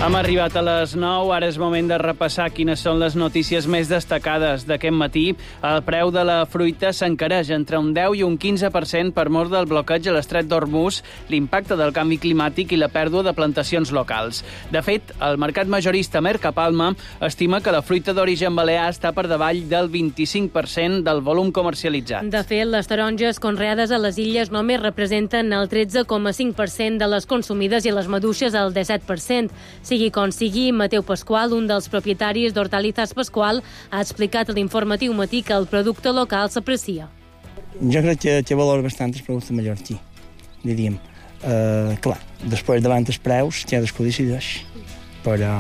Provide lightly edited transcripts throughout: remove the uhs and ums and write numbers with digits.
Hem arribat a les 9, ara és moment de repassar quines són les notícies més destacades d'aquest matí. El preu de la fruita s'encareix entre un 10 i un 15% per mor del bloqueig a l'estret d'Hormuz, l'impacte del canvi climàtic i la pèrdua de plantacions locals. De fet, el mercat majorista Mercapalma estima que la fruita d'origen balear està per davall del 25% del volum comercialitzat. De fet, les taronges conreades a les illes només representen el 13,5% de les consumides i les maduixes el 17%. Sigui com sigui, Mateu Pasqual, un dels propietaris d'Hortalizas Pasqual, ha explicat a l'informatiu matí que el producte local s'aprecia. Jo crec que valora bastant el producte mallorquí, diríem. Clar, després davant els preus, cadascú decideix, però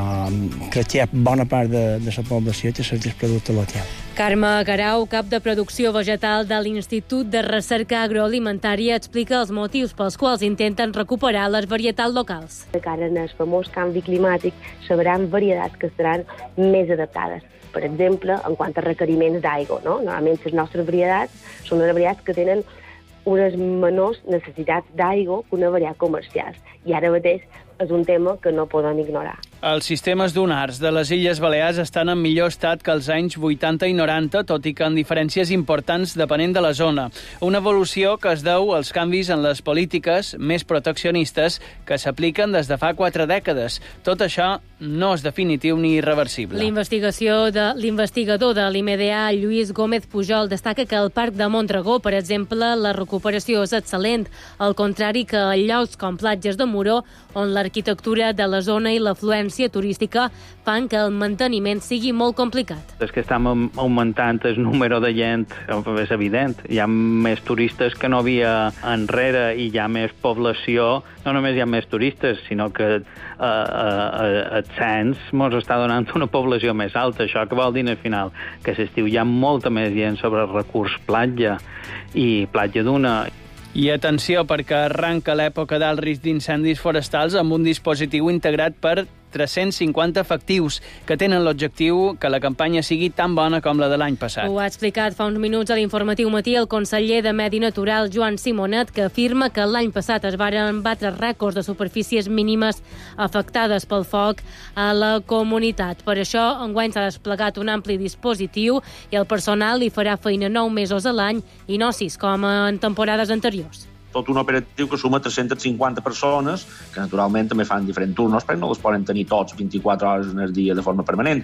crec que hi ha bona part de la població que cerca el producte local. Carme Garau, cap de producció vegetal de l'Institut de Recerca Agroalimentària, explica els motius pels quals intenten recuperar les varietats locals. De cara al famós canvi climàtic, sabran varietats que seran més adaptades. Per exemple, en quant a requeriments d'aigua, no? Normalment les nostres varietats són unes varietats que tenen unes menors necessitats d'aigua que una varietat comercial. I ara mateix és un tema que no podem ignorar. Els sistemes dunars de les Illes Balears estan en millor estat que els anys 80 i 90, tot i que amb diferències importants depenent de la zona. Una evolució que es deu als canvis en les polítiques més proteccionistes que s'apliquen des de fa 4 dècades. Tot això no és definitiu ni irreversible. L'investigador de l'IMDA, Lluís Gómez Pujol, destaca que al Parc de Montragó, per exemple, la recuperació és excel·lent, al contrari que a llocs com platges de Moró, on l'arquitectura de la zona i l'afluència turística fan que el manteniment sigui molt complicat. És que estem augmentant el número de gent, és evident. Hi ha més turistes que no havia enrere i hi ha més població. No només hi ha més turistes, sinó que el cens ens està donant una població més alta. Això que vol dir al final? Que a l'estiu hi ha molta més gent sobre el recurs platja i platja duna. I atenció, perquè arranca l'època d'alt risc d'incendis forestals amb un dispositiu integrat per 350 efectius que tenen l'objectiu que la campanya sigui tan bona com la de l'any passat. Ho ha explicat fa uns minuts a l'informatiu matí el conseller de Medi Natural, Joan Simonet, que afirma que l'any passat es varen batre rècords de superfícies mínimes afectades pel foc a la comunitat. Per això, enguany s'ha desplegat un ampli dispositiu i el personal hi farà feina 9 mesos a l'any i no 6, com en temporades anteriors. Tot un operatiu que suma 350 persones, que naturalment també fan diferents turnos, perquè no les poden tenir tots 24 hores en el dia de forma permanent.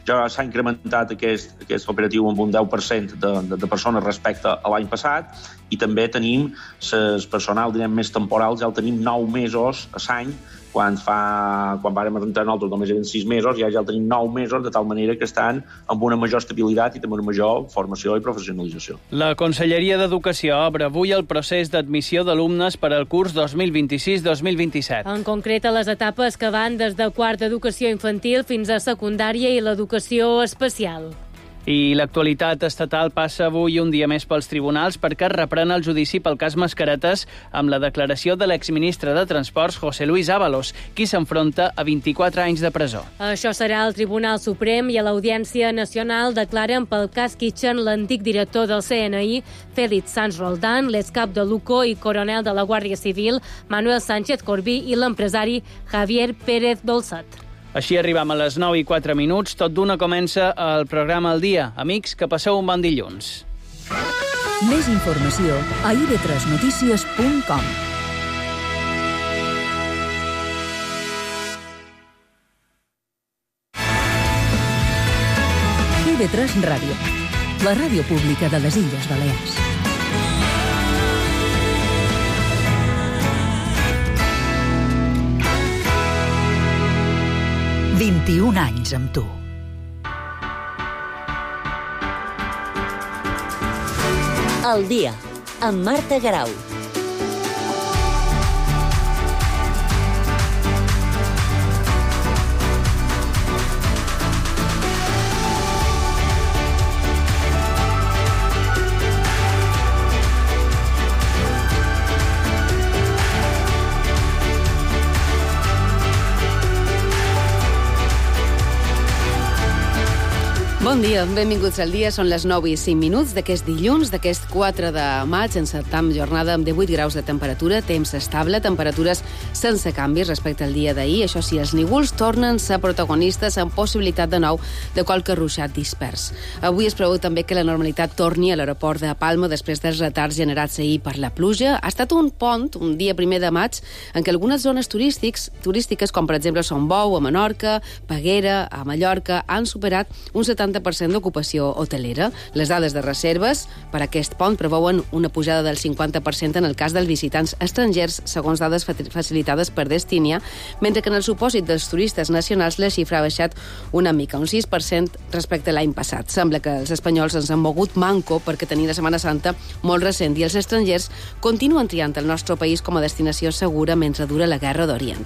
Ja s'ha incrementat aquest operatiu amb un 10% de persones respecte a l'any passat, i també tenim el personal més temporal, ja el tenim 9 mesos a l'any, quan vàrem entrar nosaltres només eren 6 mesos, ja el tenim 9 mesos, de tal manera que estan amb una major estabilitat i també una major formació i professionalització. La Conselleria d'Educació obre avui el procés d'admissió d'alumnes per al curs 2026-2027. En concret, a les etapes que van des de quart d'educació infantil fins a secundària i l'educació especial. I l'actualitat estatal passa avui un dia més pels tribunals perquè es reprèn el judici pel cas Mascaretes amb la declaració de l'exministre de Transports, José Luis Ábalos, qui s'enfronta a 24 anys de presó. Això serà al Tribunal Suprem i a l'Audiència Nacional declaren pel cas Kitchen l'antic director del CNI, Félix Sanz Roldán, l'excap de Luco i coronel de la Guàrdia Civil, Manuel Sánchez Corbí, i l'empresari Javier Pérez Dolçat. Així arribam a les 9 i 4 minuts. Tot d'una comença el programa al dia. Amics, que passeu un bon dilluns. Més informació a ib3notícies.com. IB3 Ràdio, la ràdio pública de les Illes Balears. «21 anys amb tu». El dia, amb Marta Garau. Bon dia, benvinguts al dia. Són les 9 i 5 minuts d'aquest dilluns, d'aquest 4 de maig. Encetam jornada amb 18 graus de temperatura, temps estable, temperatures sense canvis respecte al dia d'ahir. Això sí, els núvols tornen a ser protagonistes amb possibilitat de nou de qualque ruixat dispers. Avui es preveu també que la normalitat torni a l'aeroport de Palma després dels retards generats ahir per la pluja. Ha estat un pont, un dia 1 de maig, en què algunes zones turístiques, com per exemple Son Bou, a Menorca, Peguera, a Mallorca, han superat un 70% d'ocupació hotelera. Les dades de reserves per a aquest pont preveuen una pujada del 50% en el cas dels visitants estrangers, segons dades facilitades per Destinia, mentre que en el supòsit dels turistes nacionals la xifra ha baixat una mica, un 6% respecte a l'any passat. Sembla que els espanyols ens han mogut manco perquè tenien la Setmana Santa molt recent i els estrangers continuen triant el nostre país com a destinació segura mentre dura la Guerra d'Orient.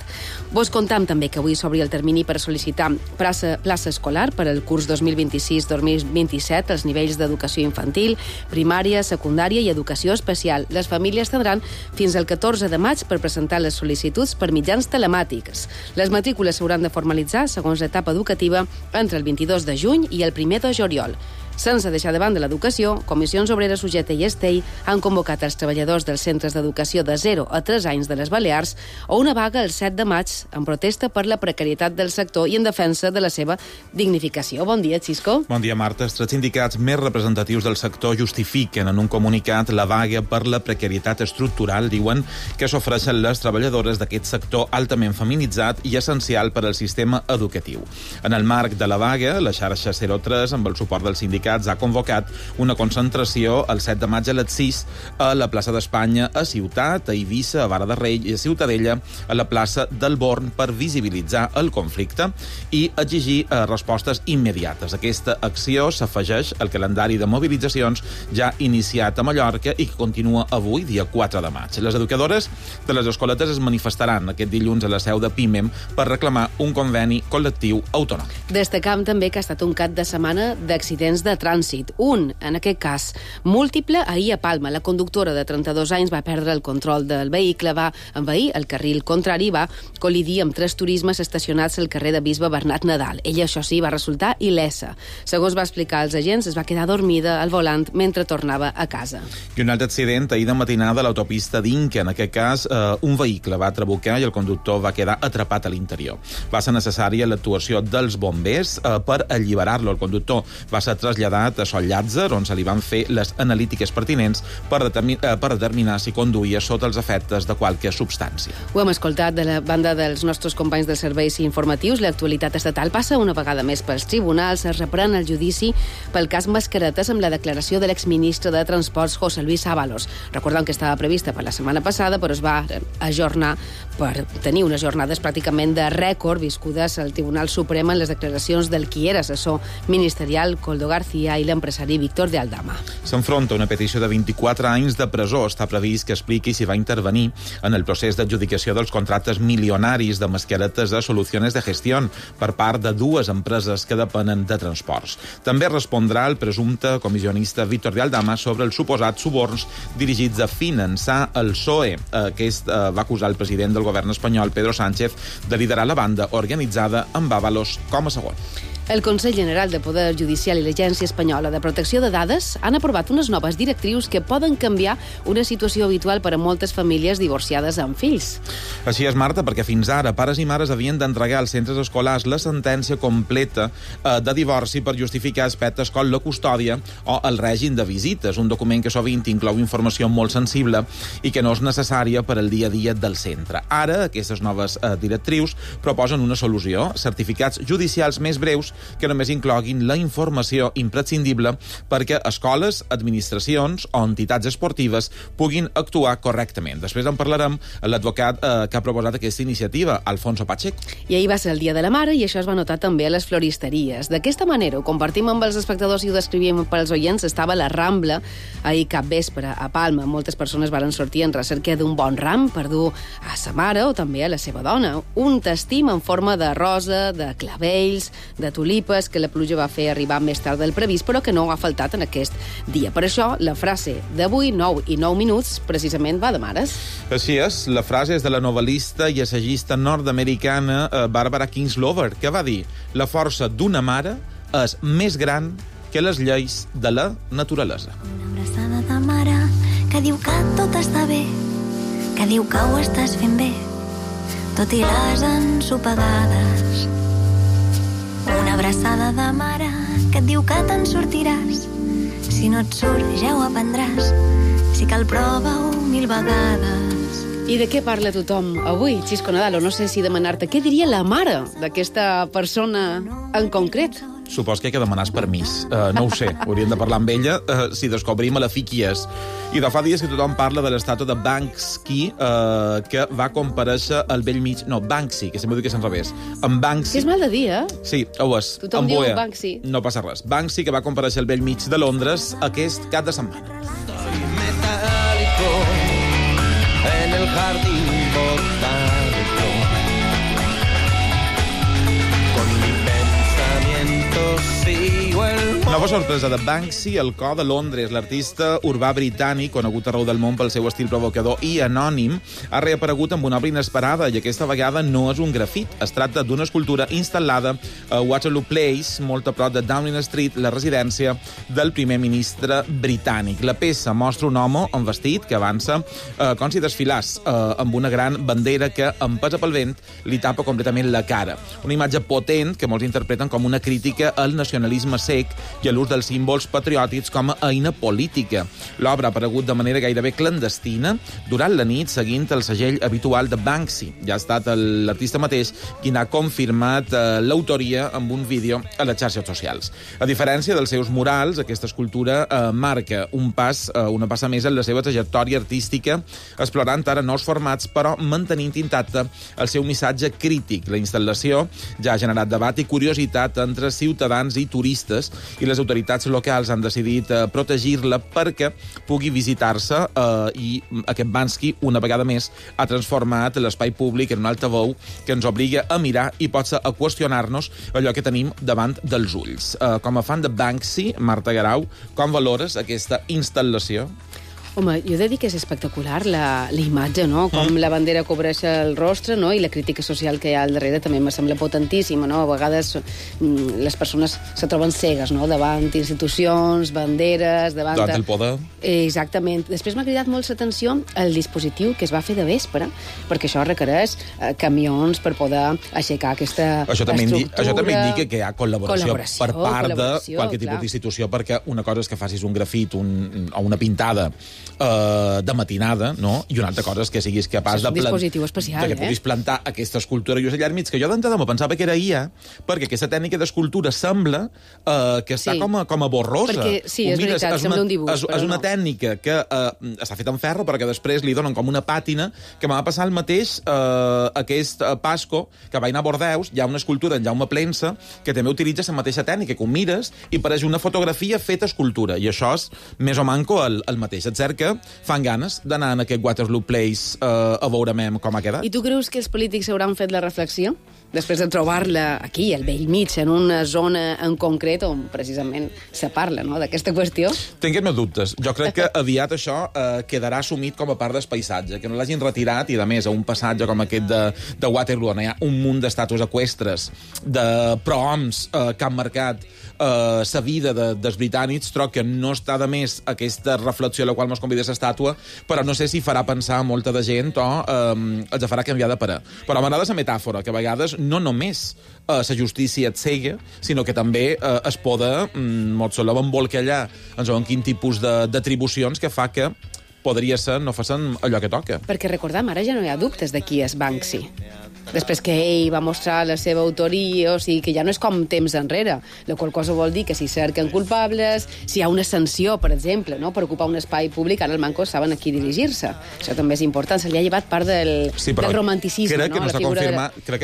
Vos contam també que avui s'obri el termini per sol·licitar plaça escolar per al curs 2026-2027 als nivells d'educació infantil, primària, secundària i educació especial. Les famílies tindran fins al 14 de maig per presentar les sol·licituds per mitjans telemàtics. Les matrícules s'hauran de formalitzar, segons l'etapa educativa, entre el 22 de juny i el 1 de juliol. Sense deixar de banda l'educació, Comissions Obreres UGT i Estell han convocat els treballadors dels centres d'educació de 0 a 3 anys de les Balears a una vaga el 7 de maig en protesta per la precarietat del sector i en defensa de la seva dignificació. Bon dia, Xisco. Bon dia, Marta. Els 3 sindicats més representatius del sector justifiquen en un comunicat la vaga per la precarietat estructural. Diuen que s'ofereixen les treballadores d'aquest sector altament feminitzat i essencial per al sistema educatiu. En el marc de la vaga, la xarxa 03, amb el suport dels sindicats, ha convocat una concentració el 7 de maig a les 6 a la plaça d'Espanya a Ciutat, a Eivissa, a Vara de Rei i a Ciutadella, a la plaça del Born, per visibilitzar el conflicte i exigir respostes immediates. Aquesta acció s'afegeix al calendari de mobilitzacions ja iniciat a Mallorca i que continua avui, dia 4 de maig. Les educadores de les escoletes es manifestaran aquest dilluns a la seu de PIMEM per reclamar un conveni col·lectiu autònom. Destacam també que ha estat un cap de setmana d'accidents de trànsit. Un, en aquest cas, múltiple, ahir a Palma. La conductora de 32 anys va perdre el control del vehicle, va envair el carril contrari i va col·lidir amb 3 turismes estacionats al carrer de Bisbe Bernat Nadal. Ella, això sí, va resultar il·lesa. Segons va explicar als agents, es va quedar dormida al volant mentre tornava a casa. I un altre accident ahir de matinada a l'autopista d'Inca. En aquest cas, un vehicle va trabucar i el conductor va quedar atrapat a l'interior. Va ser necessària l'actuació dels bombers per alliberar-lo. El conductor va ser traslladat a Sol Llàtzer, on se li van fer les analítiques pertinents per determinar si conduïa sota els efectes de qualque substància. Ho hem escoltat de la banda dels nostres companys dels serveis informatius. L'actualitat estatal passa una vegada més pels tribunals. Es reprèn el judici pel cas Mascaretes amb la declaració de l'exministre de Transports, José Luis Ábalos. Recordem que estava prevista per la setmana passada, però es va ajornar per tenir unes jornades pràcticament de rècord viscudes al Tribunal Suprem en les declaracions del qui era assessor ministerial, Coldo García, i l'empresari Víctor de Aldama. S'enfronta una petició de 24 anys de presó. Està previst que expliqui si va intervenir en el procés d'adjudicació dels contractes milionaris de mascaretes a Soluciones de Gestión per part de 2 empreses que depenen de transports. També respondrà el presumpte comissionista Víctor de Aldama sobre els suposats suborns dirigits a finançar el PSOE. Aquest va acusar el president del govern espanyol, Pedro Sánchez, de liderar la banda organitzada amb Ábalos com a segon. El Consell General de Poder Judicial i l'Agència Espanyola de Protecció de Dades han aprovat unes noves directrius que poden canviar una situació habitual per a moltes famílies divorciades amb fills. Així és, Marta, perquè fins ara pares i mares havien d'entregar als centres escolars la sentència completa de divorci per justificar aspectes com la custòdia o el règim de visites, un document que sovint inclou informació molt sensible i que no és necessària per al dia a dia del centre. Ara, aquestes noves directrius proposen una solució, certificats judicials més breus que només incloguin la informació imprescindible perquè escoles, administracions o entitats esportives puguin actuar correctament. Després en parlarem amb l'advocat que ha proposat aquesta iniciativa, Alfonso Pacheco. I ahir va ser el Dia de la Mare i això es va notar també a les floristeries. D'aquesta manera ho compartim amb els espectadors i ho descrivíem pels oients. Estava a la Rambla ahir cap vespre a Palma. Moltes persones varen sortir en recerca d'un bon ram per dur a sa mare o també a la seva dona. Un tastim en forma de rosa, de clavells, de tulipes que la pluja va fer arribar més tard del previst, però que no ha faltat en aquest dia. Per això, la frase d'avui, 9 i 9 minuts, precisament va de mares. Així és, la frase és de la novel·lista i assagista nord-americana Barbara Kingsolver, que va dir: la força d'una mare és més gran que les lleis de la naturalesa. Una abraçada de mare que diu que tot està bé, que diu que ho estàs fent bé, tot i les ensopegades. Una abraçada de mare que et diu que te'n sortiràs. Si no et surt, ja ho aprendràs. Si cal, prova-ho 1000 vegades. I de què parla tothom avui, Xisco Nadal? O no sé si demanar-te què diria la mare d'aquesta persona en concret. Supos que hay que demanar permís. No ho sé, hauríem de parlar amb ella si descobrim a la fi qui és. I de fa dies que tothom parla de l'estàtua de Banksy, que va comparèixer al vell mig... No, Banksy, que sempre diu que és en revés. En Banksy... Que és mal de dir, eh? Sí, ho és. Tothom diu Banksy. No passa res. Banksy, que va comparèixer al vell mig de Londres aquest cap de setmana. Soy metálico en el jardín botánico. Con mi pensamiento sigo el... Nova sorpresa de Banksy, el cor de Londres. L'artista urbà britànic, conegut arreu del món pel seu estil provocador i anònim, ha reaparegut amb una obra inesperada i aquesta vegada no és un grafit. Es tracta d'una escultura instal·lada a Waterloo Place, molt a prop de Downing Street, la residència del primer ministre britànic. La peça mostra un home en vestit que avança com si desfilàs amb una gran bandera que, empesa pel vent, li tapa completament la cara. Una imatge potent que molts interpreten com una crítica al nacionalisme sec i a l'ús dels símbols patriòtics com a eina política. L'obra ha aparegut de manera gairebé clandestina durant la nit, seguint el segell habitual de Banksy. Ja ha estat l'artista mateix qui n'ha confirmat l'autoria amb un vídeo a les xarxes socials. A diferència dels seus murals, aquesta escultura marca una passa més en la seva trajectòria artística, explorant ara nous formats, però mantenint intacte el seu missatge crític. La instal·lació ja ha generat debat i curiositat entre ciutadans i turistes, i les autoritats locals han decidit protegir-la perquè pugui visitar-se i aquest Banksy, una vegada més, ha transformat l'espai públic en un altaveu que ens obliga a mirar i potser a qüestionar-nos allò que tenim davant dels ulls. Com a fan de Banksy, Marta Garau, com valores aquesta instal·lació? Home, jo he de dir que és espectacular la imatge, no? Com la bandera cobreix el rostre, no? I la crítica social que hi ha al darrere també me sembla potentíssima, no? A vegades les persones se troben cegues, no? Davant institucions, banderes, davant el poder. Exactament. Després m'ha cridat molt l'atenció el dispositiu que es va fer de vespre, perquè això requereix camions per poder aixecar aquesta estructura. Això també indica que hi ha col·laboració per part de qualsevol tipus d'institució, perquè una cosa és que facis un grafit o una pintada de matinada, no? I una altra cosa és que siguis capaç de dispositiu especial, que puguis plantar aquesta escultura just allà al mig, que jo d'entrada me pensava que era IA, perquè aquesta tècnica d'escultura sembla que està com a borrosa. Perquè, sí, és veritat, sembla un dibuix. És una tècnica que està feta en ferro, perquè després li donen com una pàtina, que m'ha passat el mateix aquest Pasco, que va anar a Bordeus, hi ha una escultura en Jaume Plensa, que també utilitza la mateixa tècnica, que ho mires i pareix una fotografia feta escultura, i això és més o manco el mateix. És cert que fan ganes d'anar en aquest Waterloo Place a veure com ha quedat. I tu creus que els polítics hauran fet la reflexió? Després de trobar-la aquí, al vell mig, en una zona en concret on precisament se parla, no?, d'aquesta qüestió? Tinc els meus dubtes. Jo crec que aviat això quedarà assumit com a part del paisatge, que no l'hagin retirat, i a més a un passatge com aquest de Waterloo, on hi ha un munt d'estàtues eqüestres, de prohoms que han marcat la vida dels britànics, troc que no està de més aquesta reflexió a la qual mos convida l'estàtua, però no sé si farà pensar molta de gent o els farà canviar de parer. Però m'agrada la metàfora, que a vegades no només la justícia et cega, sinó que també es poda, molt solem embolcallar en segons quin tipus d'atribucions que fa que podria ser no facin allò que toca. Perquè recordem, ara ja no hi ha dubtes de qui és Banksy. Després que ell va mostrar la seva autoria, o sigui, que ja no és com temps enrere, la qual cosa vol dir que si cerquen culpables, si hi ha una sanció, per exemple, no?, per ocupar un espai públic, ara el manco saben a qui dirigir-se. Això també és important, se li ha llevat part del romanticisme, crec que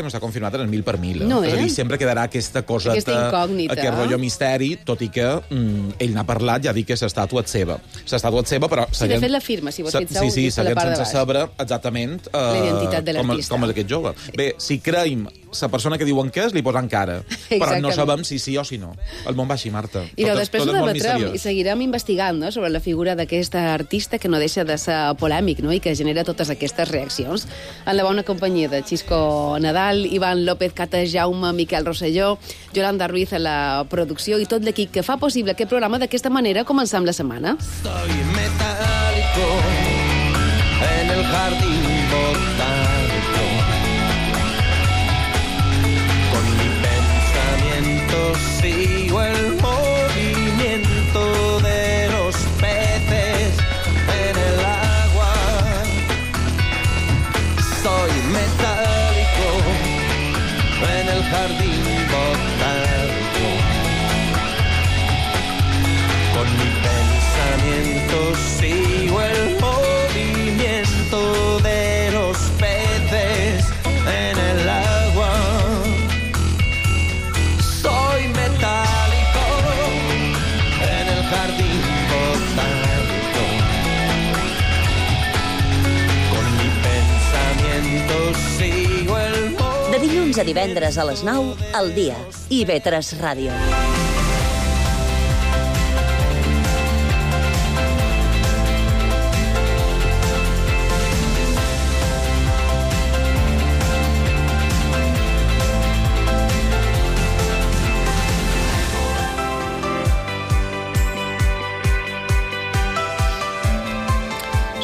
no està confirmat en el 1000 per 1000. No, és a dir, sempre quedarà aquesta cosa, aquesta incògnita, aquest rotllo misteri, tot i que ell n'ha parlat, ja dic que l'estàtua és seva. L'estàtua és seva, però... Sí, de fet la firma, si vos fixeu, sí, seguint sense saber exactament la identitat de l'artista. Com és aquest jove. Bé, si creiem la persona que diuen que és, li posen cara. Però no sabem si sí o si no. El món va així, Marta. I després ho debatrem i seguirem investigant, no?, sobre la figura d'aquesta artista que no deixa de ser polèmic, no?, i que genera totes aquestes reaccions. En la bona companyia de Xisco Nadal, Ivan López, Cata Jaume, Miquel Rosselló, Yolanda Ruiz a la producció i tot l'equip que fa possible aquest programa d'aquesta manera començam la setmana. Soy metálico en el jardín botánico. jardín botánico. Con mi pensamiento sigo el movimiento de los peces en el agua. Soy metálico en el jardín botánico. Con mi pensamiento sigo el movimiento. De dilluns a divendres a les 9, al dia. IB3 Ràdio.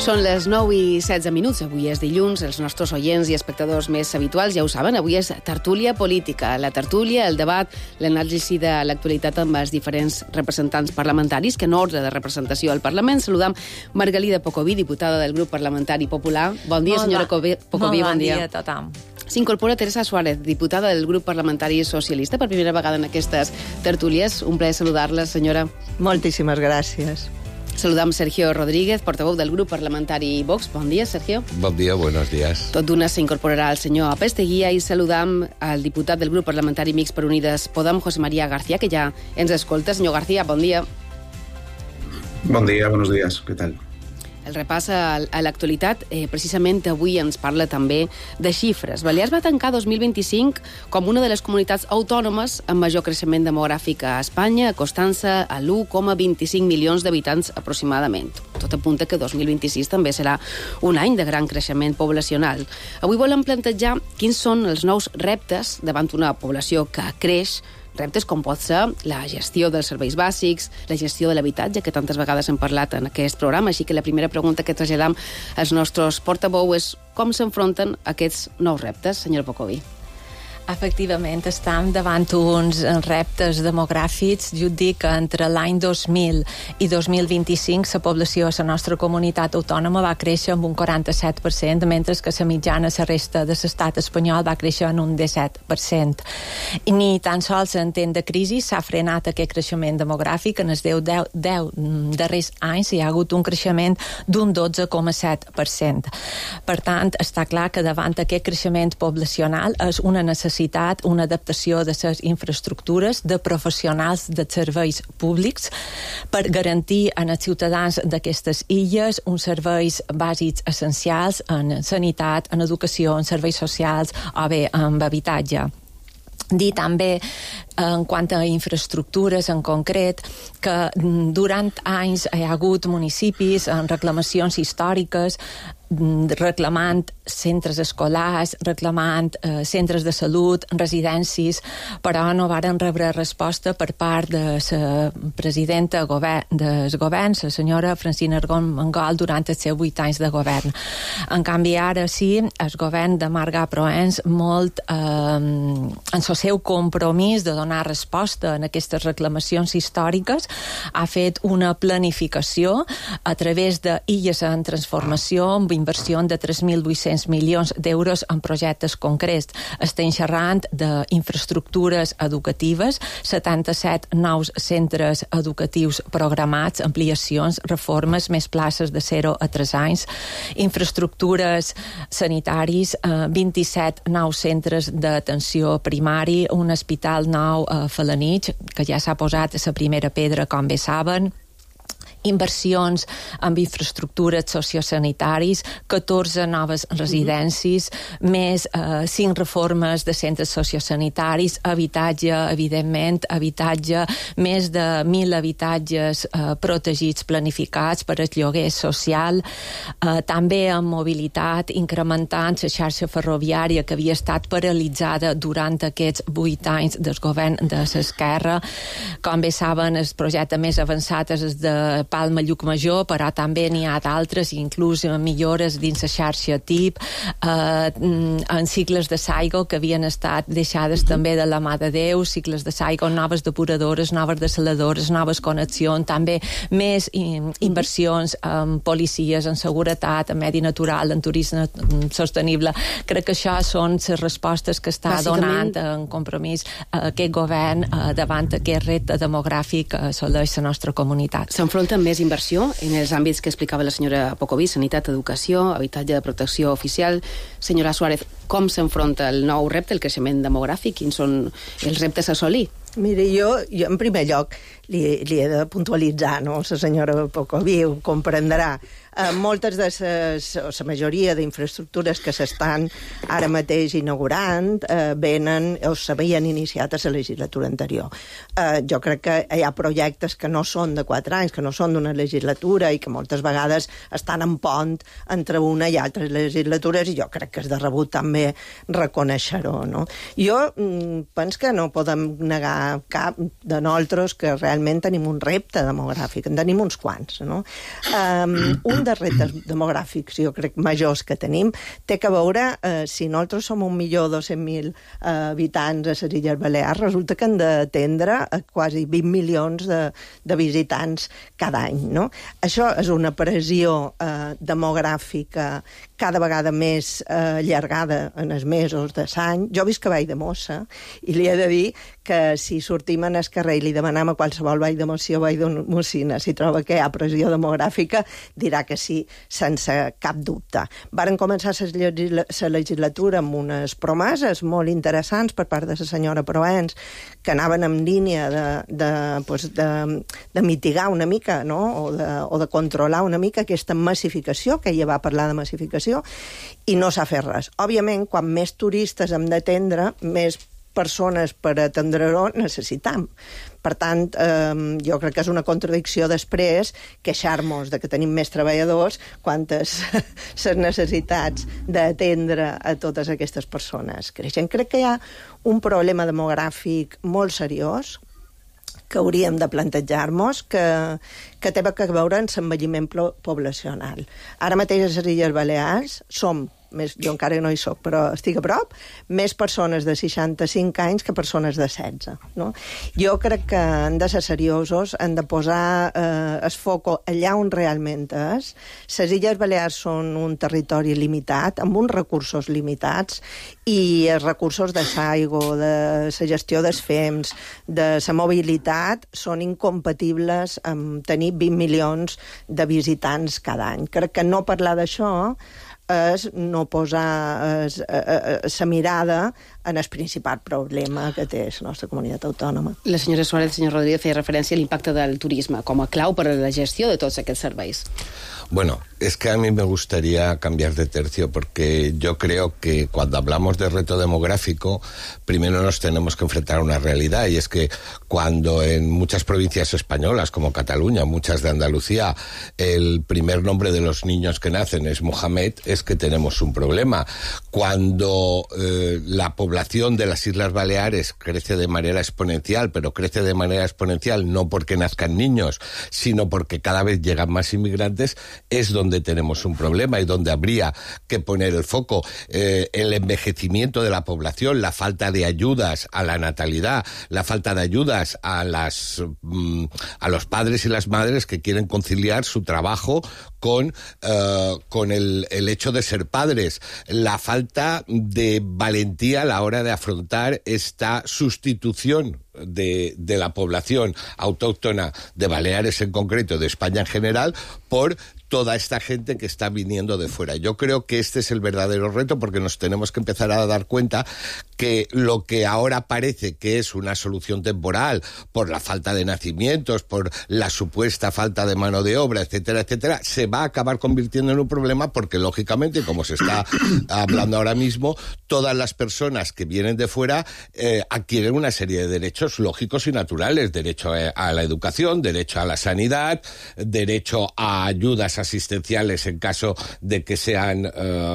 Són les 9:16. Avui és dilluns. Els nostres oients i espectadors més habituals ja ho saben. Avui és tertúlia política. La tertúlia, el debat, l'anàlisi de l'actualitat amb els diferents representants parlamentaris que en ordre de representació al Parlament. Saludam Margalida Pocoví, diputada del grup parlamentari popular. Bon dia, senyora Pocoví. Bon dia a tothom. S'incorpora Teresa Suárez, diputada del grup parlamentari socialista, per primera vegada en aquestes tertúlies. Un plaer saludar-la, senyora. Moltíssimes gràcies. Saludam Sergio Rodríguez, portaveu del grup parlamentari Vox. Bon dia, Sergio. Bon dia, buenos días. Tot d'una s'incorporarà el senyor Apesteguía i saludam al diputat del grup parlamentari Mixt per Unides Podem, José María García, que ja ens escolta. Senyor García, bon dia. Bon dia, buenos días. Què tal? El repàs a l'actualitat, precisament avui ens parla també de xifres. Balears va tancar 2025 com una de les comunitats autònomes amb major creixement demogràfic a Espanya, acostant-se a l'1,25 milions d'habitants aproximadament. Tot apunta que 2026 també serà un any de gran creixement poblacional. Avui volem plantejar quins són els nous reptes davant una població que creix, reptes com pot ser la gestió dels serveis bàsics, la gestió de l'habitatge, que tantes vegades hem parlat en aquest programa. Així que la primera pregunta que traslladam als nostres portavous és com s'enfronten aquests nous reptes, senyor Pocoví? Efectivament, estem davant uns reptes demogràfics. Jo dic que entre l'any 2000 i 2025 la població a la nostra comunitat autònoma va créixer amb un 47%, mentre que la mitjana a la resta de l'estat espanyol va créixer en un 17%. I ni tan sols en temps de crisi s'ha frenat aquest creixement demogràfic. En els 10 darrers anys hi ha hagut un creixement d'un 12,7%. Per tant, està clar que davant aquest creixement poblacional és una necessitat, una adaptació de les infraestructures, de professionals de serveis públics per garantir als ciutadans d'aquestes illes uns serveis bàsics essencials en sanitat, en educació, en serveis socials o bé en habitatge. Dir també, en quant a infraestructures en concret, que durant anys hi ha hagut municipis en reclamacions històriques reclamant centres escolars, reclamant centres de salut, residències, però no varen rebre resposta per part de la presidenta del govern, la senyora Francina Armengol, durant els seus 8 anys de govern. En canvi, ara sí, el govern de Marga Proens, molt en el seu compromís de donar resposta a aquestes reclamacions històriques, ha fet una planificació a través d'illes en transformació amb inversió de 3.800 milions d'euros en projectes concrets. Estem xerrant d'infraestructures educatives, 77 nous centres educatius programats, ampliacions, reformes, més places de 0 a 3 anys, infraestructures sanitaris, 27 nous centres d'atenció primari, un hospital nou a Felanitx, que ja s'ha posat la primera pedra, com bé saben, inversions en infraestructures sociosanitaris, 14 noves residències, més 5 reformes de centres sociosanitaris, habitatge, evidentment, habitatge, més de 1.000 habitatges protegits, planificats per al lloguer social, també en mobilitat, incrementant la xarxa ferroviària que havia estat paralitzada durant aquests 8 anys del govern de l'esquerra. Com bé saben, el projecte més avançat és el de Palma Llucmajor, però també n'hi ha d'altres, inclús millores dins la xarxa TIP, en cicles de Saigo que havien estat deixades també de la mà de Déu, cicles de Saigo, noves depuradores, noves desaladores, noves connexions, també més inversions en policies, en seguretat, en medi natural, en turisme sostenible. Crec que això són les respostes que està donant en compromís aquest govern davant aquest repte demogràfic que assoleix la nostra comunitat. S'enfronta amb més inversió en els àmbits que explicava la senyora Pocoví, sanitat, educació, habitatge de protecció oficial. Senyora Suárez, com s'enfronta el nou repte, el creixement demogràfic? Quins són els reptes a assolir? Mire, jo en primer lloc li he de puntualitzar, no? La senyora Pocoví ho comprendrà. Moltes de la majoria d'infraestructures que s'estan ara mateix inaugurant venen o s'havien iniciat a la legislatura anterior. Jo crec que hi ha projectes que no són de 4 anys, que no són d'una legislatura i que moltes vegades estan en pont entre una i altres legislatures, i jo crec que és de rebut també reconèixer-ho, no? Jo penso que no podem negar cap de nosaltres que realment tenim un repte demogràfic, en tenim uns quants, no? Un dels reptes demogràfics, jo crec, majors que tenim, té que veure, si nosaltres som 1.200.000 habitants a les Illes Balears, resulta que hem d'atendre quasi 20 milions de visitants cada any, no? Això és una pressió demogràfica cada vegada més allargada en els mesos de l'any. Jo visc a Vall de Mossa i li he de dir que si sortim en el carrer i li demanem a qualsevol Vall de Mossa o Vall de Mossina si troba que hi ha pressió demogràfica, dirà que sí, sense cap dubte. Varen començar la legislatura amb unes promeses molt interessants per part de la senyora Proens, que anaven en línia de mitigar una mica, no? o de controlar una mica aquesta massificació, que ella va parlar de massificació, i no s'ha fet res. Òbviament, quan més turistes hem d'atendre, més persones per atendre-ho necessitam. Per tant, jo crec que és una contradicció després queixar-nos de que tenim més treballadors quantes les necessitats d'atendre a totes aquestes persones creixen. Crec que hi ha un problema demogràfic molt seriós que hauríem de plantejar-nos, que té a veure amb l'envelliment poblacional. Ara mateix a les Illes Balears som, jo encara no hi soc, però estic a prop, més persones de 65 anys que persones de 16. No? Jo crec que hem de ser seriosos, hem de posar el foc allà on realment és. Les Illes Balears són un territori limitat, amb uns recursos limitats, i els recursos de l'aigua, de la gestió dels fems, de la mobilitat, són incompatibles amb tenir 20 milions de visitants cada any. Crec que no parlar d'això és no posar la mirada en el principal problema que té la nostra comunitat autònoma. La senyora Suárez, el senyor Rodríguez, feia referència a l'impacte del turisme com a clau per a la gestió de tots aquests serveis. Bueno, es que a mí me gustaría cambiar de tercio porque yo creo que cuando hablamos de reto demográfico, primero nos tenemos que enfrentar a una realidad, y es que cuando en muchas provincias españolas, como Cataluña, muchas de Andalucía, el primer nombre de los niños que nacen es Mohamed, es que tenemos un problema. Cuando la población de las Islas Baleares crece de manera exponencial, pero crece de manera exponencial no porque nazcan niños, sino porque cada vez llegan más inmigrantes, es donde tenemos un problema y donde habría que poner el foco. El envejecimiento de la población, la falta de ayudas a la natalidad, la falta de ayudas a los padres y las madres que quieren conciliar su trabajo con el hecho de ser padres, la falta de valentía a la hora de afrontar esta sustitución de la población autóctona de Baleares en concreto, de España en general, por toda esta gente que está viniendo de fuera. Yo creo que este es el verdadero reto, porque nos tenemos que empezar a dar cuenta que lo que ahora parece que es una solución temporal por la falta de nacimientos, por la supuesta falta de mano de obra, etcétera, etcétera, se va a acabar convirtiendo en un problema porque, lógicamente, como se está hablando ahora mismo, todas las personas que vienen de fuera adquieren una serie de derechos derechos lógicos y naturales, derecho a la educación, derecho a la sanidad, derecho a ayudas asistenciales en caso de que sean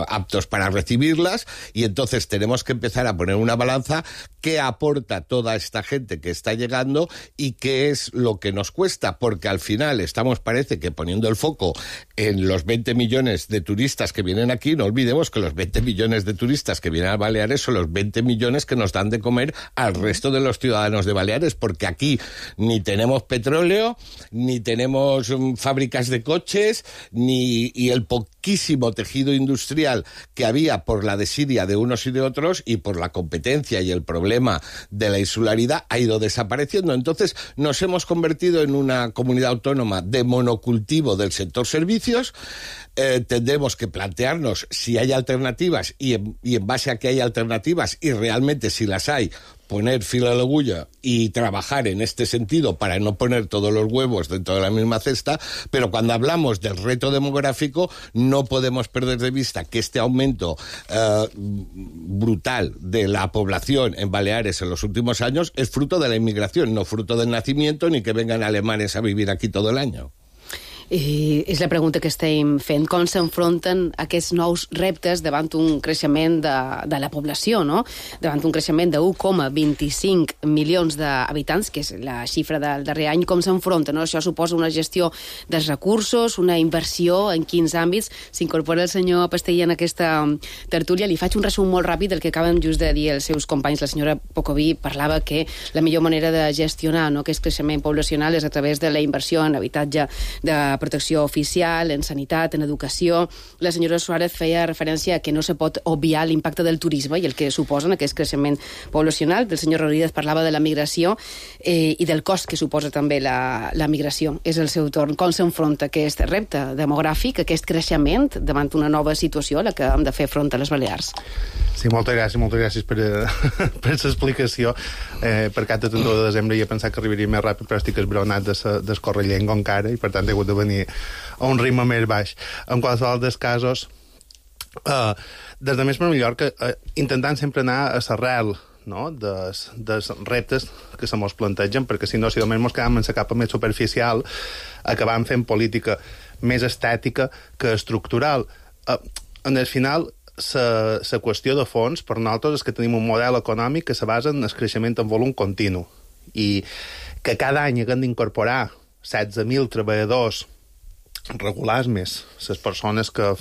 aptos para recibirlas, y entonces tenemos que empezar a poner una balanza qué aporta toda esta gente que está llegando y qué es lo que nos cuesta, porque al final estamos, parece que poniendo el foco en los 20 millones de turistas que vienen aquí. No olvidemos que los 20 millones de turistas que vienen a Baleares son los 20 millones que nos dan de comer al resto de los ciudadanos de Baleares, porque aquí ni tenemos petróleo, ni tenemos fábricas de coches, y el poquísimo tejido industrial que había por la desidia de unos y de otros y por la competencia y el problema de la insularidad ha ido desapareciendo. Entonces nos hemos convertido en una comunidad autónoma de monocultivo del sector servicios. Tendremos que plantearnos si hay alternativas y en base a que hay alternativas y realmente si las hay, poner filo a la agulla y trabajar en este sentido para no poner todos los huevos dentro de la misma cesta. Pero cuando hablamos del reto demográfico no podemos perder de vista que este aumento brutal de la población en Baleares en los últimos años es fruto de la inmigración, no fruto del nacimiento ni que vengan alemanes a vivir aquí todo el año. I és la pregunta que estem fent. Com s'enfronten aquests nous reptes davant un creixement de la població, no? Davant un creixement de 1,25 milions d'habitants, que és la xifra del darrer any, com s'enfronten, no? Això suposa una gestió dels recursos, una inversió, en quins àmbits. S'incorpora el senyor Pastellí en aquesta tertúlia. Li faig un resum molt ràpid del que acaben just de dir els seus companys. La senyora Pocoví parlava que la millor manera de gestionar, no, aquest creixement poblacional és a través de la inversió en habitatge de protecció oficial, en sanitat, en educació. La senyora Suárez feia referència a que no se pot obviar l'impacte del turisme i el que suposa aquest creixement poblacional. El senyor Rodríguez parlava de la migració i del cost que suposa també la migració. És el seu torn. Com s'enfronta aquest repte demogràfic, aquest creixement davant una nova situació a la que hem de fer front a les Balears? Sí, moltes gràcies per l'explicació. Per cap de 31 de desembre ja he pensat que arribaria més ràpid, però estic esbronat d'escórrer llengua encara i per tant he hagut de venir a un ritme més baix. En qualsevol dels casos, des de Més per Mallorca, intentant sempre anar a l'arrel, no?, dels reptes que se mos plantegen, perquè si no, si només mos quedam en la capa més superficial, acabam fent política més estètica que estructural. En el final, la qüestió de fons, per nosaltres, és que tenim un model econòmic que se basa en el creixement en volum continu i que cada any haguem d'incorporar 16.000 treballadors regulars més les persones que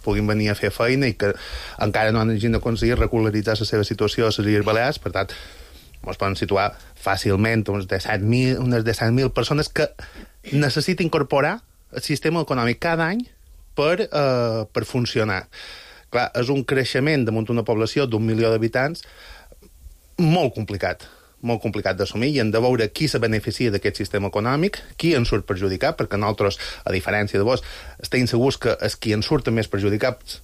puguin venir a fer feina i que encara no han aconseguit regularitzar la seva situació a les Illes Balears. Per tant, ens poden situar fàcilment unes 17.000 persones que necessita incorporar el sistema econòmic cada any per funcionar. Clar, és un creixement damunt una població d'1 milió d'habitants molt complicat d'assumir, i hem de veure qui se beneficia d'aquest sistema econòmic, qui en surt perjudicat, perquè nosaltres, a diferència de vos, estem segurs que els qui en surten més perjudicats,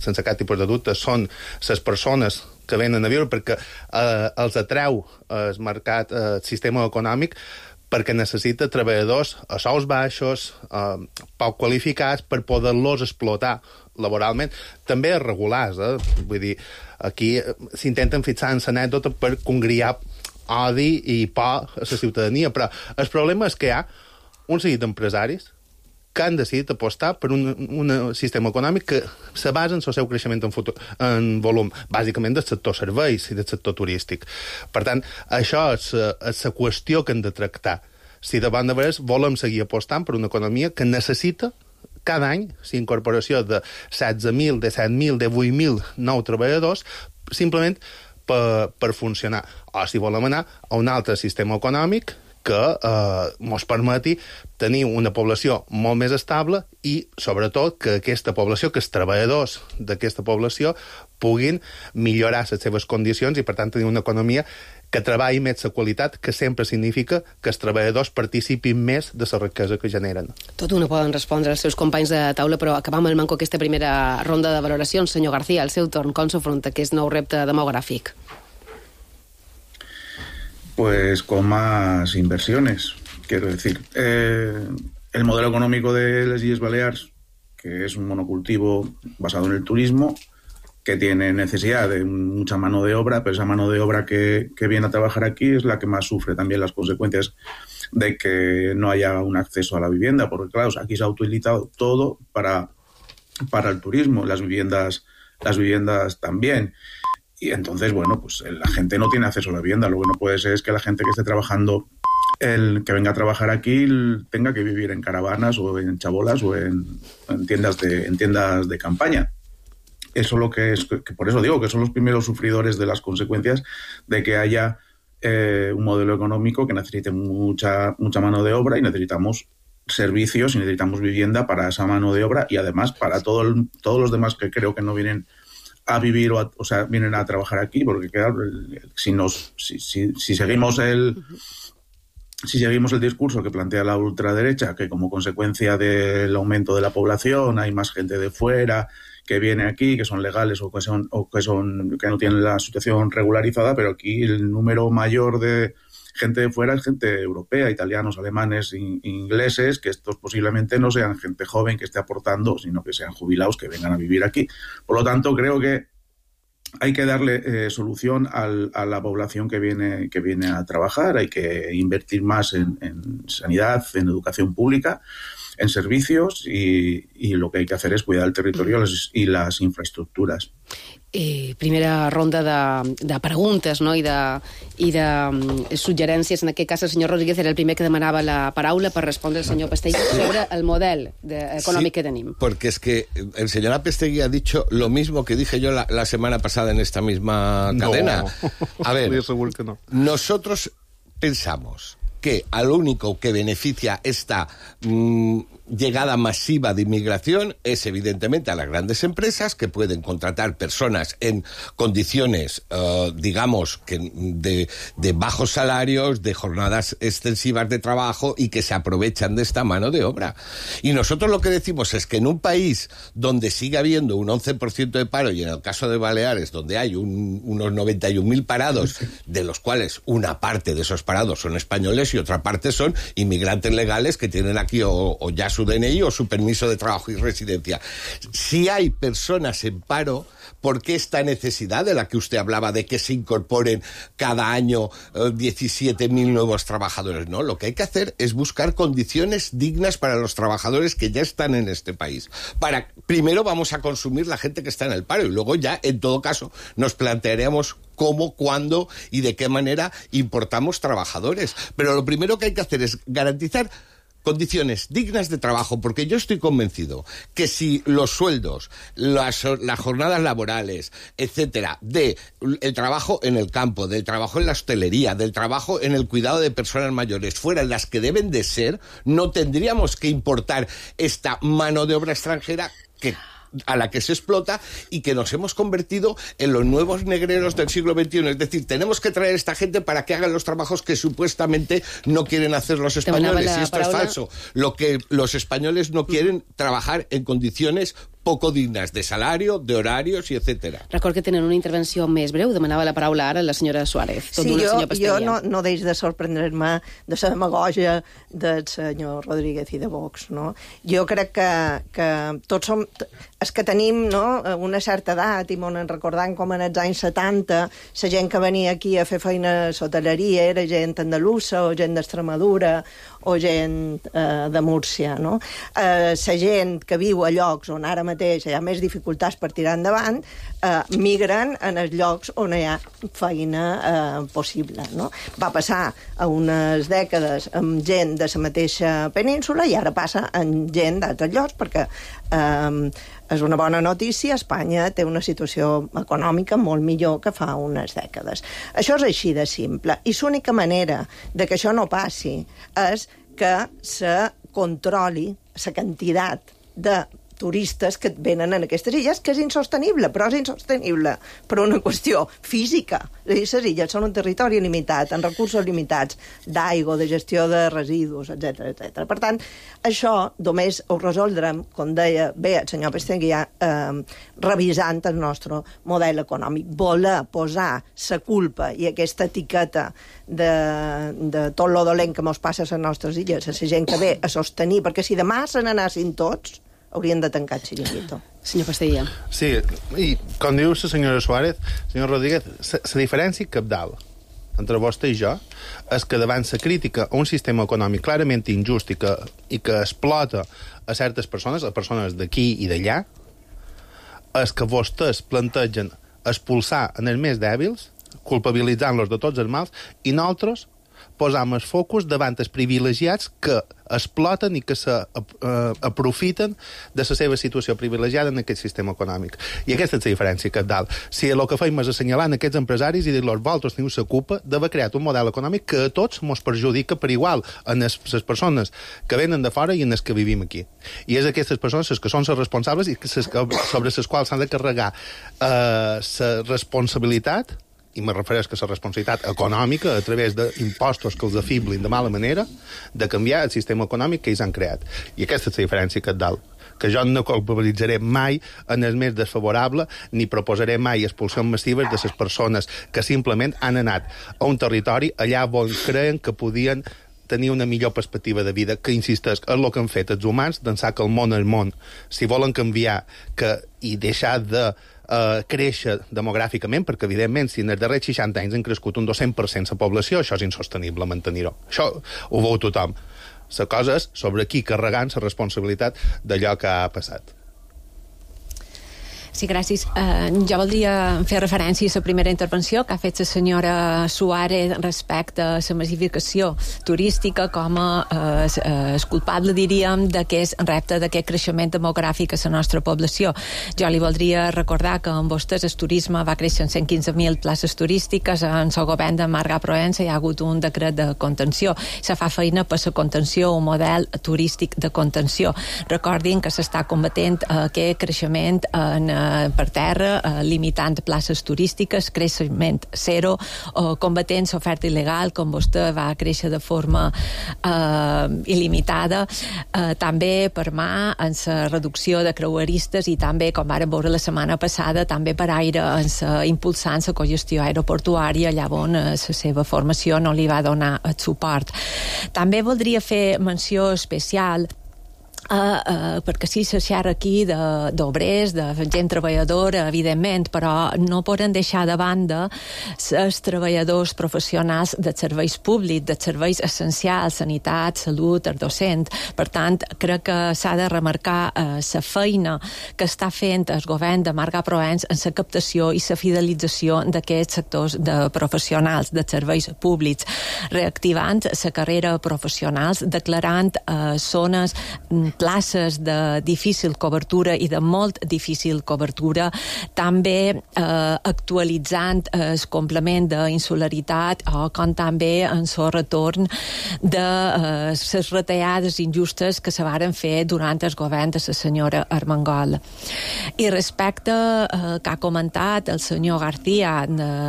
sense cap tipus de dubte, són les persones que venen a viure, perquè els atreu el mercat, el sistema econòmic, perquè necessita treballadors a sous baixos, poc qualificats, per poder-los explotar laboralment, també regulars, vull dir, aquí s'intenten fixar en l'anècdota per congriar odi i por a la ciutadania, però el problema és que hi ha un seguit d'empresaris que han decidit apostar per un sistema econòmic que se basa en el seu creixement en volum, bàsicament del sector serveis i del sector turístic. Per tant, això és la qüestió que hem de tractar. Si davant de vegades volem seguir apostant per una economia que necessita cada any la incorporació de 16.000, de 7.000, de 8.000 nous treballadors, simplement per funcionar. O si volem anar a un altre sistema econòmic que ens permeti tenir una població molt més estable i, sobretot, que aquesta població, que els treballadors d'aquesta població puguin millorar les seves condicions i, per tant, tenir una economia que treballi més la qualitat, que sempre significa que els treballadors participin més de la riquesa que generen. Tot una poden respondre els seus companys de taula, però acabam el manco aquesta primera ronda de valoracions. Senyor García, al seu torn, com s'afronta aquest nou repte demográfic? Pues con más inversiones, quiero decir. El modelo económico de las Illes Balears, que es un monocultivo basado en el turismo, que tiene necesidad de mucha mano de obra, pero esa mano de obra que viene a trabajar aquí es la que más sufre también las consecuencias de que no haya un acceso a la vivienda, porque claro, aquí se ha utilizado todo para el turismo, las viviendas también. Y entonces, bueno, pues la gente no tiene acceso a la vivienda. Lo que no puede ser es que la gente que esté trabajando, que venga a trabajar aquí, tenga que vivir en caravanas o en chabolas o en tiendas de campaña. Eso lo que es, que por eso digo que son los primeros sufridores de las consecuencias de que haya un modelo económico que necesite mucha mano de obra, y necesitamos servicios y necesitamos vivienda para esa mano de obra, y además para todos los demás que creo que no vienen a vivir o sea, vienen a trabajar aquí, porque claro, si seguimos el discurso que plantea la ultraderecha, que como consecuencia del aumento de la población hay más gente de fuera que viene aquí, que son legales o que no tienen la situación regularizada, pero aquí el número mayor de gente de fuera es gente europea, italianos, alemanes, ingleses, que estos posiblemente no sean gente joven que esté aportando, sino que sean jubilados que vengan a vivir aquí. Por lo tanto, creo que hay que darle solución a la población que viene a trabajar. Hay que invertir más en sanidad, en educación pública, en servicios, y lo que hay que hacer es cuidar el territorio y las infraestructuras. Primera ronda de preguntes, no? I de suggerències. En aquest cas, el senyor Rodríguez era el primer que demanava la paraula per respondre al senyor Pestegui sobre el model econòmic que tenim. Porque es que el señor Pestegui ha dicho lo mismo que dije yo la semana pasada en esta misma cadena. A ver, que no. Nosotros pensamos que al único que beneficia esta llegada masiva de inmigración es evidentemente a las grandes empresas, que pueden contratar personas en condiciones, digamos, que de bajos salarios, de jornadas extensivas de trabajo, y que se aprovechan de esta mano de obra. Y nosotros lo que decimos es que en un país donde sigue habiendo un 11% de paro, y en el caso de Baleares, donde hay unos 91.000 parados, de los cuales una parte de esos parados son españoles y otra parte son inmigrantes legales que tienen aquí o ya su DNI o su permiso de trabajo y residencia. Si hay personas en paro, ¿por qué esta necesidad de la que usted hablaba de que se incorporen cada año 17.000 nuevos trabajadores? No, lo que hay que hacer es buscar condiciones dignas para los trabajadores que ya están en este país. Primero vamos a consumir la gente que está en el paro, y luego ya, en todo caso, nos plantearemos cómo, cuándo y de qué manera importamos trabajadores. Pero lo primero que hay que hacer es garantizar condiciones dignas de trabajo, porque yo estoy convencido que si los sueldos, las jornadas laborales, etcétera, del trabajo en el campo, del trabajo en la hostelería, del trabajo en el cuidado de personas mayores fueran las que deben de ser, no tendríamos que importar esta mano de obra extranjera a la que se explota, y que nos hemos convertido en los nuevos negreros del siglo XXI. Es decir, tenemos que traer a esta gente para que hagan los trabajos que supuestamente no quieren hacer los españoles. Y esto es falso. Lo que los españoles no quieren trabajar en condiciones poco dignes de salario, de horarios i etcètera. Record que tenen una intervenció més breu. Demanava la paraula ara la senyora Suárez. Sí, jo no deix de sorprendre-me de la demagògia del senyor Rodríguez i de Vox, no? Jo crec que tots som... És que tenim, no?, una certa edat, i m'ho recordant com en els anys 70 la gent que venia aquí a fer feina a l'hoteleria era gent andalusa o gent d'Extremadura o gent de Múrcia, no? La gent que viu a llocs on ara mateix hi ha més dificultats per tirar endavant, migren en els llocs on hi ha feina possible, no? Va passar a unes dècades amb gent de la mateixa península i ara passa amb gent d'altres llocs, perquè és una bona notícia, Espanya té una situació econòmica molt millor que fa unes dècades. Això és així de simple, i l'única manera de que això no passi és que se controli la quantitat de turistes que venen en aquestes illes, que és insostenible, però és insostenible per una qüestió física. Les illes són un territori limitat, amb recursos limitats d'aigua, de gestió de residus, etc. Per tant, això només ho resoldrem, com deia bé el senyor Pestegui, revisant el nostre model econòmic. Voler posar la culpa i aquesta etiqueta de tot lo dolent que mos passa a les nostres illes, a la gent que ve a sostenir, perquè si demà se n'anassin tots, haurien de tancar el xiringuito. Senyor Pastellà. Sí, i com diu la senyora Suárez, senyor Rodríguez, la diferència cabdal entre vostè i jo és que davant la crítica a un sistema econòmic clarament injust i que explota a certes persones, a persones d'aquí i d'allà, és que vostès plantegen expulsar en els més dèbils, culpabilitzant-los de tots els mals, i nosaltres posam el focus davant els privilegiats que exploten i que s'aprofiten de la seva situació privilegiada en aquest sistema econòmic. I aquesta és la diferència cabdal. Si el que fem és assenyalar aquests empresaris i dir-los vosaltres teniu la culpa d'haver creat un model econòmic que a tots ens perjudica per igual en les persones que venen de fora i en les que vivim aquí. I és aquestes persones les que són les responsables i sobre les quals s'han de carregar la responsabilitat, i me refereix que la responsabilitat econòmica a través d'impostos que els afiblin de mala manera, de canviar el sistema econòmic que ells han creat. I aquesta és la diferència cabdal, que jo no culpabilitzaré mai en el més desfavorable ni proposaré mai expulsions massives de les persones que simplement han anat a un territori allà on creen que podien tenir una millor perspectiva de vida, que insisteix, és el que han fet els humans, d'ençà que el món és món. Si volen canviar i deixar de créixer demogràficament, perquè evidentment si en els darrers 60 anys han crescut un 200% la població, això és insostenible mantenir-ho. Això ho veu tothom. La cosa és sobre qui carregant la responsabilitat d'allò que ha passat. Sí, gràcies. Jo voldria fer referència a la primera intervenció que ha fet la senyora Suárez respecte a la massificació turística com a culpable, diríem, d'aquest repte, d'aquest creixement demogràfic a la nostra població. Jo li voldria recordar que amb vostès el turisme va créixer en 115.000 places turístiques, en el govern de Marga Proença hi ha hagut un decret de contenció. Se fa feina per la contenció, un model turístic de contenció. Recordin que s'està combatent aquest creixement per terra, limitant places turístiques, creixement zero, combatent l'oferta il·legal, com vostè va créixer de forma il·limitada, també per mà en la reducció de creueristes i també, com vàrem veure la setmana passada, també per aire, impulsant la cogestió aeroportuària, allà on la seva formació no li va donar el suport. També voldria fer menció especial perquè sí se xerra aquí d'obrers, de gent treballadora, evidentment, però no poden deixar de banda els treballadors professionals dels serveis públics, dels serveis essencials, sanitat, salut, el docent. Per tant, crec que s'ha de remarcar la feina que està fent el govern de Marga Proença en la captació i la fidelització d'aquests sectors de professionals dels serveis públics, reactivant la carrera professionals, declarant zones, places de difícil cobertura i de molt difícil cobertura, també actualitzant el complement d'insularitat com també en el retorn de les retallades injustes que se varen fer durant el govern de la senyora Armengol. I respecte que ha comentat el senyor García,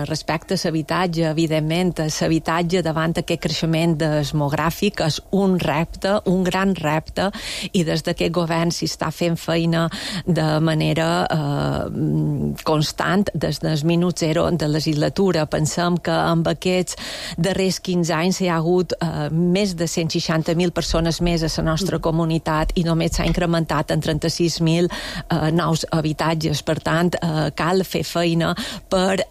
respecte a l'habitatge, evidentment, l'habitatge davant aquest creixement demogràfic és un repte, un gran repte, i des d'aquest govern s'hi està fent feina de manera constant des del minut zero de legislatura. Pensem que amb aquests darrers 15 anys hi ha hagut més de 160.000 persones més a la nostra comunitat i només s'ha incrementat en 36.000 nous habitatges. Per tant, cal fer feina per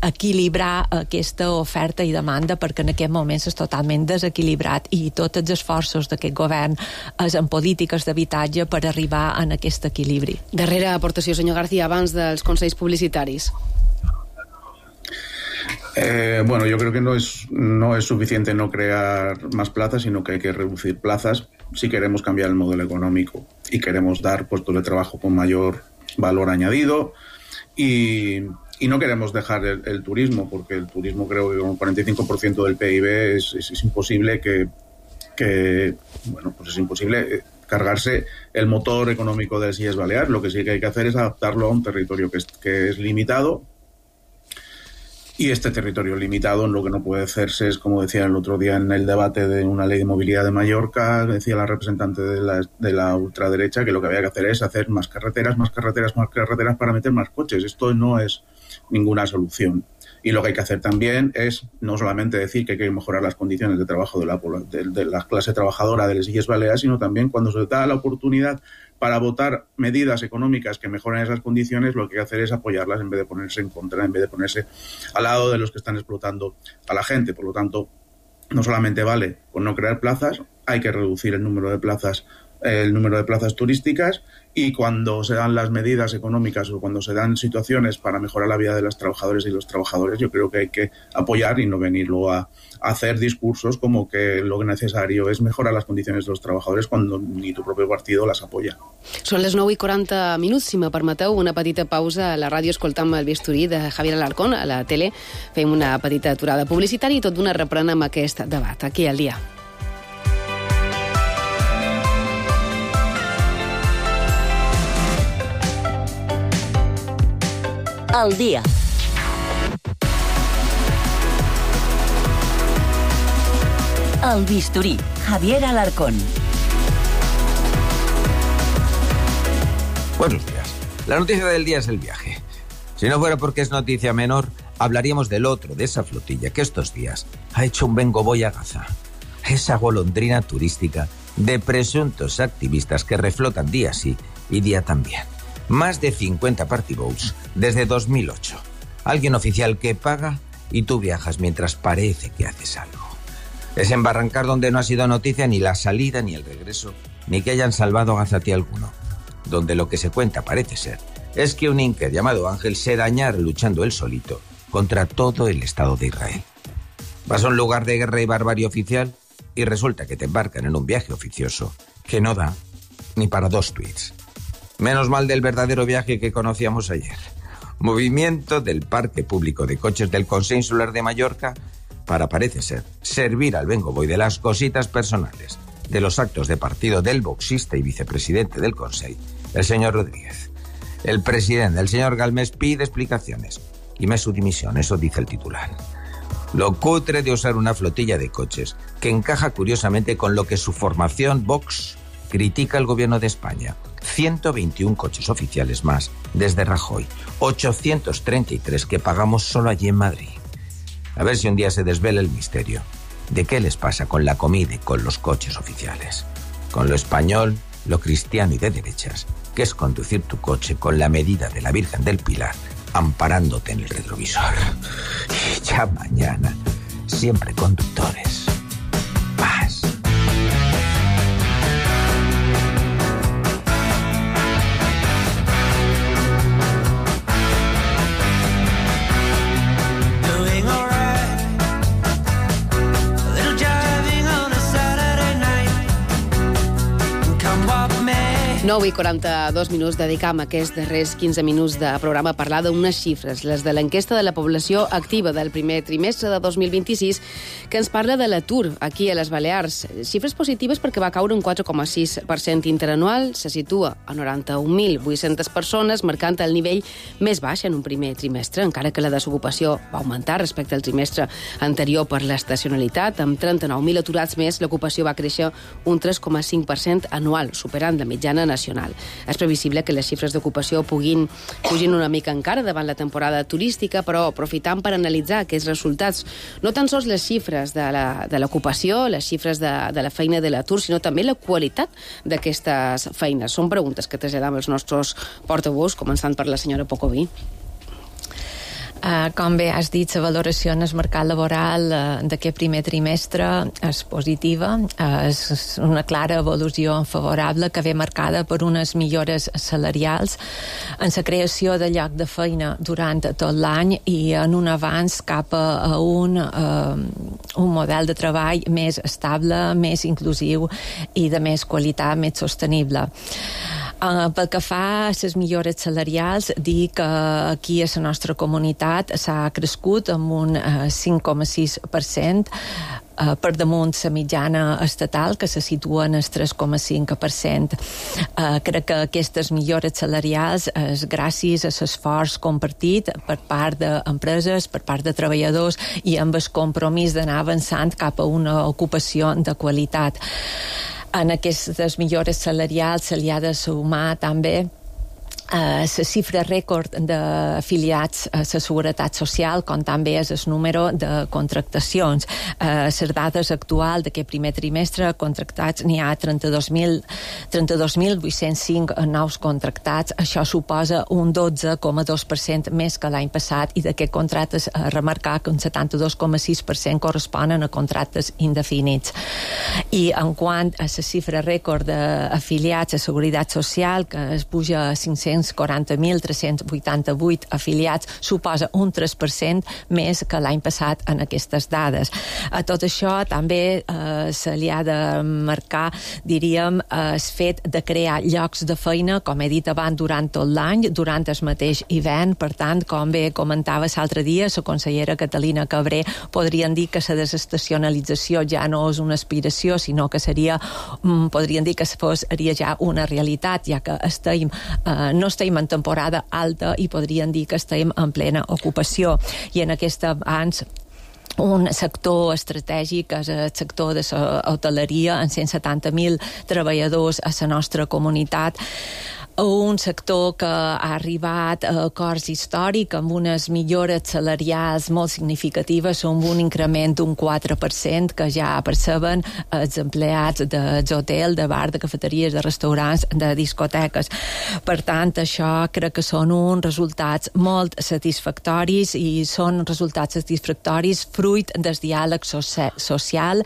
equilibrar aquesta oferta i demanda, perquè en aquest moment és totalment desequilibrat i tots els esforços d'aquest govern és en polítiques d'habitatge per arribar a aquest equilibri. Darrera aportació, senyor García, abans dels consells publicitaris. Bueno, yo creo que no es suficiente no crear más plazas, sino que hay que reducir plazas si queremos cambiar el modelo económico y queremos dar puestos de trabajo con mayor valor añadido y no queremos dejar el turismo, porque el turismo creo que con un 45% del PIB es imposible es imposible cargarse el motor económico de las Illes Baleares. Lo que sí que hay que hacer es adaptarlo a un territorio que es limitado, y este territorio limitado lo que no puede hacerse es, como decía el otro día en el debate de una ley de movilidad de Mallorca, decía la representante de la ultraderecha que lo que había que hacer es hacer más carreteras para meter más coches. Esto no es ninguna solución. Y lo que hay que hacer también es no solamente decir que hay que mejorar las condiciones de trabajo de la clase trabajadora de las Illes Baleares, sino también cuando se da la oportunidad para votar medidas económicas que mejoren esas condiciones, lo que hay que hacer es apoyarlas en vez de ponerse en contra, en vez de ponerse al lado de los que están explotando a la gente. Por lo tanto, no solamente vale con no crear plazas, hay que reducir el número de plazas turísticas, y cuando se dan las medidas económicas o cuando se dan situaciones para mejorar la vida de los trabajadores y los trabajadores, yo creo que hay que apoyar y no venir luego a hacer discursos como que lo necesario es mejorar las condiciones de los trabajadores cuando ni tu propio partido las apoya. Són les 9:40, si me permeteu, una petita pausa a la ràdio escoltant el bisturí de Javier Alarcón, a la tele fem una petita aturada publicitària i tot d'una reprenem aquest debat, aquí al dia. Al día. El bisturí, Javier Alarcón. Buenos días. La noticia del día es el viaje. Si no fuera porque es noticia menor, hablaríamos del otro, de esa flotilla que estos días ha hecho un Vengo Voy a Gaza. Esa golondrina turística de presuntos activistas que reflotan día sí y día también. Más de 50 party boats desde 2008. Alguien oficial que paga y tú viajas mientras parece que haces algo. Es en Barrancar donde no ha sido noticia ni la salida ni el regreso, ni que hayan salvado a gazatí alguno. Donde lo que se cuenta parece ser es que un inca llamado Ángel se dañara luchando él solito contra todo el Estado de Israel. Vas a un lugar de guerra y barbarie oficial y resulta que te embarcan en un viaje oficioso que no da ni para 2 tweets. Menos mal del verdadero viaje que conocíamos ayer. Movimiento del Parque Público de Coches del Consell Insular de Mallorca para, parece ser, servir al Vengo Voy de las cositas personales de los actos de partido del boxista y vicepresidente del Consell, el señor Rodríguez. El presidente, el señor Galmés, pide explicaciones y me su dimisión, eso dice el titular. Lo cutre de usar una flotilla de coches que encaja curiosamente con lo que su formación Vox critica al gobierno de España. 121 coches oficiales más desde Rajoy, 833 que pagamos solo allí en Madrid. A ver si un día se desvela el misterio de qué les pasa con la comida y con los coches oficiales. Con lo español, lo cristiano y de derechas, que es conducir tu coche con la medida de la Virgen del Pilar, amparándote en el retrovisor. Y ya mañana, siempre conductores. Paz. Doing alright, a little jiving on a Saturday night. Come walk me. 9:42, dedicam aquests darrers 15 minuts de programa a parlar d'unes xifres, les de l'enquesta de la població activa del primer trimestre de 2026, que ens parla de l'atur aquí a les Balears. Xifres positives perquè va caure un 4,6% interanual, se situa a 91.800 persones, marcant el nivell més baix en un primer trimestre, encara que la desocupació va augmentar respecte al trimestre anterior per l'estacionalitat. Amb 39.000 aturats més, l'ocupació va créixer un 3,5% anual, superant la mitjana nacional. És previsible que les xifres d'ocupació puguin fugir una mica encara davant la temporada turística, però aprofitant per analitzar aquests resultats, no tan sols les xifres de l'ocupació, les xifres de la feina de l'atur, sinó també la qualitat d'aquestes feines. Són preguntes que traslladam els nostres portaveus, començant per la senyora Pocoví. Com bé has dit, la valoració en el mercat laboral d'aquest primer trimestre és positiva, és una clara evolució favorable que ve marcada per unes millores salarials en la creació de lloc de feina durant tot l'any i en un avanç cap a un model de treball més estable, més inclusiu i de més qualitat, més sostenible. Pel que fa a les millores salarials, dir que aquí a la nostra comunitat s'ha crescut amb un 5,6% per damunt la mitjana estatal, que se situa en el 3,5%. Crec que aquestes millores salarials és gràcies a l'esforç compartit per part d'empreses, per part de treballadors i amb el compromís d'anar avançant cap a una ocupació de qualitat. En aquestes millores salarials se li ha de sumar també la xifra rècord d'afiliats a la Seguretat Social, com també és el número de contractacions. Les dades actuals d'aquest primer trimestre contractats n'hi ha 32.805 nous contractats. Això suposa un 12,2% més que l'any passat, i d'aquest contractes a remarcar que un 72,6% corresponen a contractes indefinits. I en quant a la xifra rècord d'afiliats a Seguretat Social, que es puja a 540.388 afiliats, suposa un 3% més que l'any passat en aquestes dades. A tot això també se li ha de marcar, diríem, el fet de crear llocs de feina, com he dit abans, durant tot l'any, durant el mateix hivern. Per tant, com bé comentava l'altre dia la consellera Catalina Cabré, podrien dir que la desestacionalització ja no és una aspiració, sinó que podrien dir que seria ja una realitat, ja que no estem en temporada alta i podrien dir que estem en plena ocupació. I en aquest abans un sector estratègic és el sector de l'hoteleria, amb 170.000 treballadors a la nostra comunitat. Un sector que ha arribat a acords històrics amb unes millores salarials molt significatives, amb un increment d'un 4% que ja perceben els empleats dels hotels, de bar, de cafeteries, de restaurants, de discoteques. Per tant, això crec que són uns resultats molt satisfactoris, i són resultats satisfactoris fruit del diàleg social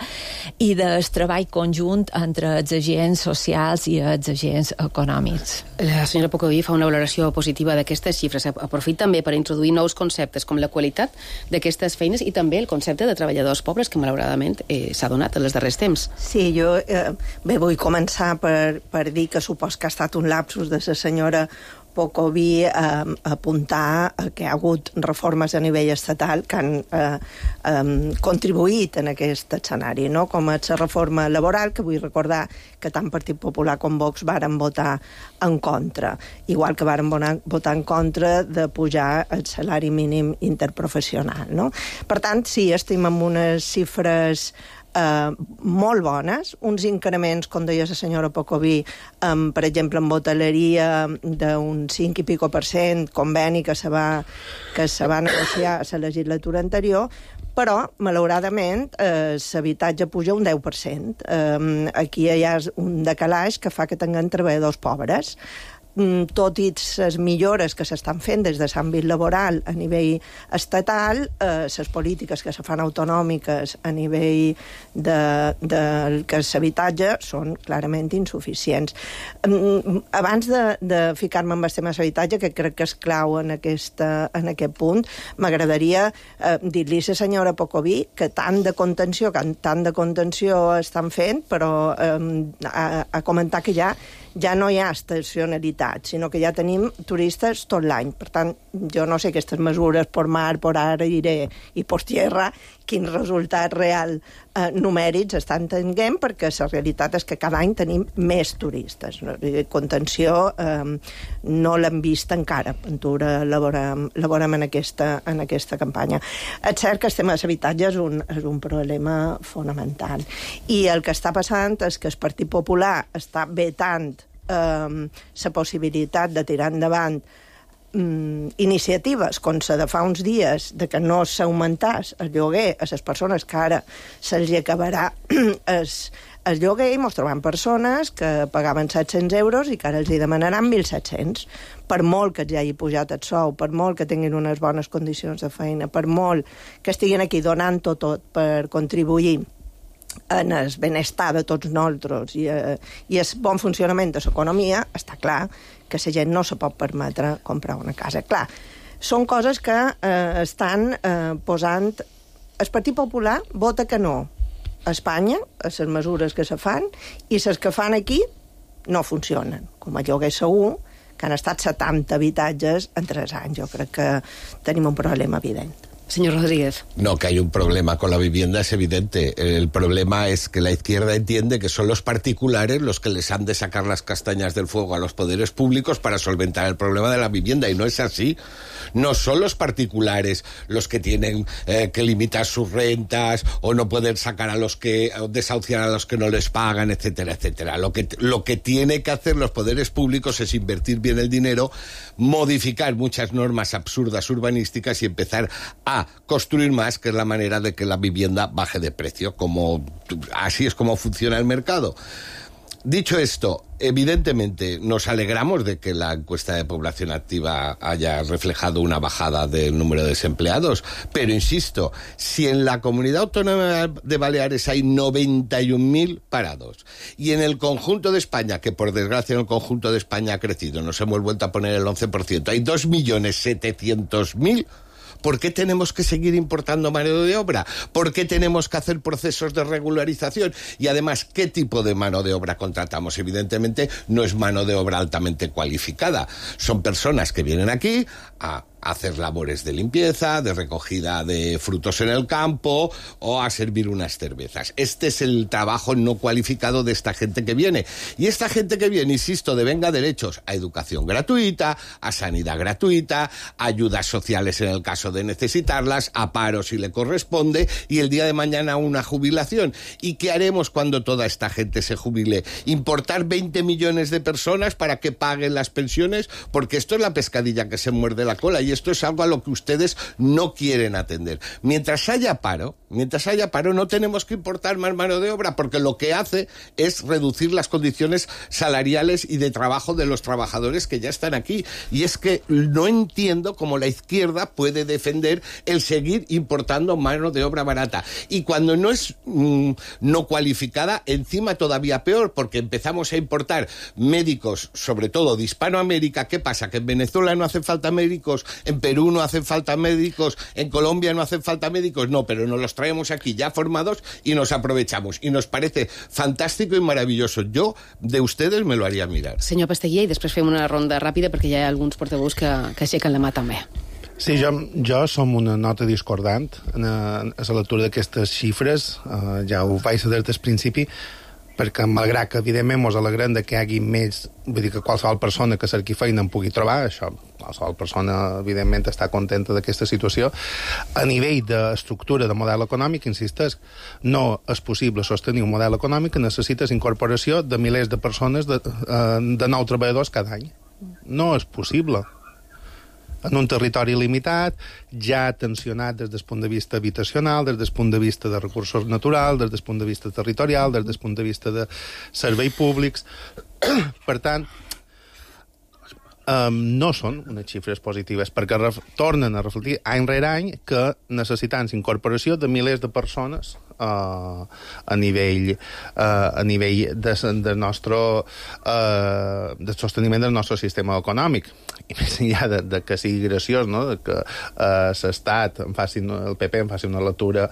i del treball conjunt entre els agents socials i els agents econòmics. La senyora Pocoví fa una valoració positiva d'aquestes xifres. Aprofita també per introduir nous conceptes com la qualitat d'aquestes feines i també el concepte de treballadors pobres, que malauradament s'ha donat en els darrers temps. Sí, jo vull començar per dir que supos que ha estat un lapsus de la senyora Pocoví apuntar que hi ha hagut reformes a nivell estatal que han contribuït en aquest escenari, no? Com és la reforma laboral, que vull recordar que tant Partit Popular com Vox varen votar en contra, igual que varen votar en contra de pujar el salari mínim interprofessional, no? Per tant, sí, estem amb unes xifres molt bones, uns increments, com deia la senyora Pocoví, per exemple, en hoteleria d'un 5 i pico %, conveni que se va negociar a la legislatura anterior, però, malauradament, l'habitatge puja un 10%. Aquí hi ha un decalaix que fa que tinguem treballadors pobres. Tot i les millores que s'estan fent des de l'àmbit laboral a nivell estatal, les polítiques que se fan autonòmiques a nivell del que és l'habitatge són clarament insuficients. Abans de ficar-me en el tema de l'habitatge, que crec que és clau en aquest punt, m'agradaria dir-li a la senyora Pocoví que tant de contenció estan fent, però a comentar que ja no hi ha estacionalitat, sinó que ja tenim turistes tot l'any. Per tant, jo no sé aquestes mesures per mar, per aire i per tierra, quin resultat real numèrics estan tenint, perquè la realitat és que cada any tenim més turistes. Contenció no l'hem vist encara. Ventura elaborem en aquesta campanya. És cert que el tema de l'habitatge és un problema fonamental. I el que està passant és que el Partit Popular està vetant la possibilitat de tirar endavant iniciatives com la de fa uns dies de que no s'augmentàs el lloguer a les persones que ara se'ls acabarà el lloguer, i ens trobem persones que pagaven 700 euros i que ara els hi demanaran 1.700. Per molt que els hagi pujat el sou, per molt que tinguin unes bones condicions de feina, per molt que estiguin aquí donant-ho tot per contribuir en el benestar de tots nosaltres i el bon funcionament de l'economia, està clar que la gent no se pot permetre comprar una casa. Clar, són coses que estan posant... El Partit Popular vota que no a Espanya, a les mesures que se fan, i les que fan aquí no funcionen, com el lloguer segur, que han estat 70 habitatges en 3 anys. Jo crec que tenim un problema evident. Señor Rodríguez. No, que hay un problema con la vivienda es evidente. El problema es que la izquierda entiende que son los particulares los que les han de sacar las castañas del fuego a los poderes públicos para solventar el problema de la vivienda, y no es así. No son los particulares los que tienen que limitar sus rentas o no poder sacar a los que, o desahuciar a los que no les pagan, etcétera, etcétera. Lo que tiene que hacer los poderes públicos es invertir bien el dinero, modificar muchas normas absurdas urbanísticas y empezar a construir más, que es la manera de que la vivienda baje de precio, así es como funciona el mercado. Dicho esto, evidentemente nos alegramos de que la encuesta de población activa haya reflejado una bajada del número de desempleados, pero insisto, si en la Comunidad Autónoma de Baleares hay 91.000 parados y en el conjunto de España, que por desgracia en el conjunto de España ha crecido, nos hemos vuelto a poner el 11%, hay 2.700.000, ¿por qué tenemos que seguir importando mano de obra? ¿Por qué tenemos que hacer procesos de regularización? Y además, ¿qué tipo de mano de obra contratamos? Evidentemente, no es mano de obra altamente cualificada. Son personas que vienen aquí a hacer labores de limpieza, de recogida de frutos en el campo o a servir unas cervezas. Este es el trabajo no cualificado de esta gente que viene. Y esta gente que viene, insisto, devenga derechos a educación gratuita, a sanidad gratuita, a ayudas sociales en el caso de necesitarlas, a paro si le corresponde, y el día de mañana una jubilación. ¿Y qué haremos cuando toda esta gente se jubile? ¿Importar 20 millones de personas para que paguen las pensiones? Porque esto es la pescadilla que se muerde la cola, y esto es algo a lo que ustedes no quieren atender. Mientras haya paro, no tenemos que importar más mano de obra, porque lo que hace es reducir las condiciones salariales y de trabajo de los trabajadores que ya están aquí. Y es que no entiendo cómo la izquierda puede defender el seguir importando mano de obra barata. Y cuando no es no cualificada, encima todavía peor, porque empezamos a importar médicos, sobre todo de Hispanoamérica. ¿Qué pasa? ¿Que en Venezuela no hacen falta médicos? ¿En Perú no hacen falta médicos? ¿En Colombia no hacen falta médicos? No, pero nos los traemos aquí ya formados y nos aprovechamos. Y nos parece fantástico y maravilloso. Yo, de ustedes, me lo haría mirar. Senyor Pasteller, i després fem una ronda ràpida perquè hi ha alguns portaveus que aixequen la mà també. Sí, jo som una nota discordant a la lectura d'aquestes xifres. Ja ho vaig saber des del principi, perquè malgrat que evidentment ens alegrem de que hi hagi més, vull dir que qualsevol persona que cerqui feina en pugui trobar, això, qualsevol persona evidentment està contenta d'aquesta situació. A nivell d'estructura de model econòmic, insisteix, no és possible sostenir un model econòmic que necessites incorporació de milers de persones, de nous treballadors cada any. No és possible. En un territori limitat, ja tensionat des del punt de vista habitacional, des del punt de vista de recursos naturals, des del punt de vista territorial, des del punt de vista de serveis públics. Per tant, no són unes xifres positives, perquè tornen a reflectir any rere any que necessitem incorporació de milers de persones a nivell del sosteniment del nostre sistema econòmic. I més enllà de que sigui graciós, no? De que l'Estat, el PP en faci una lectura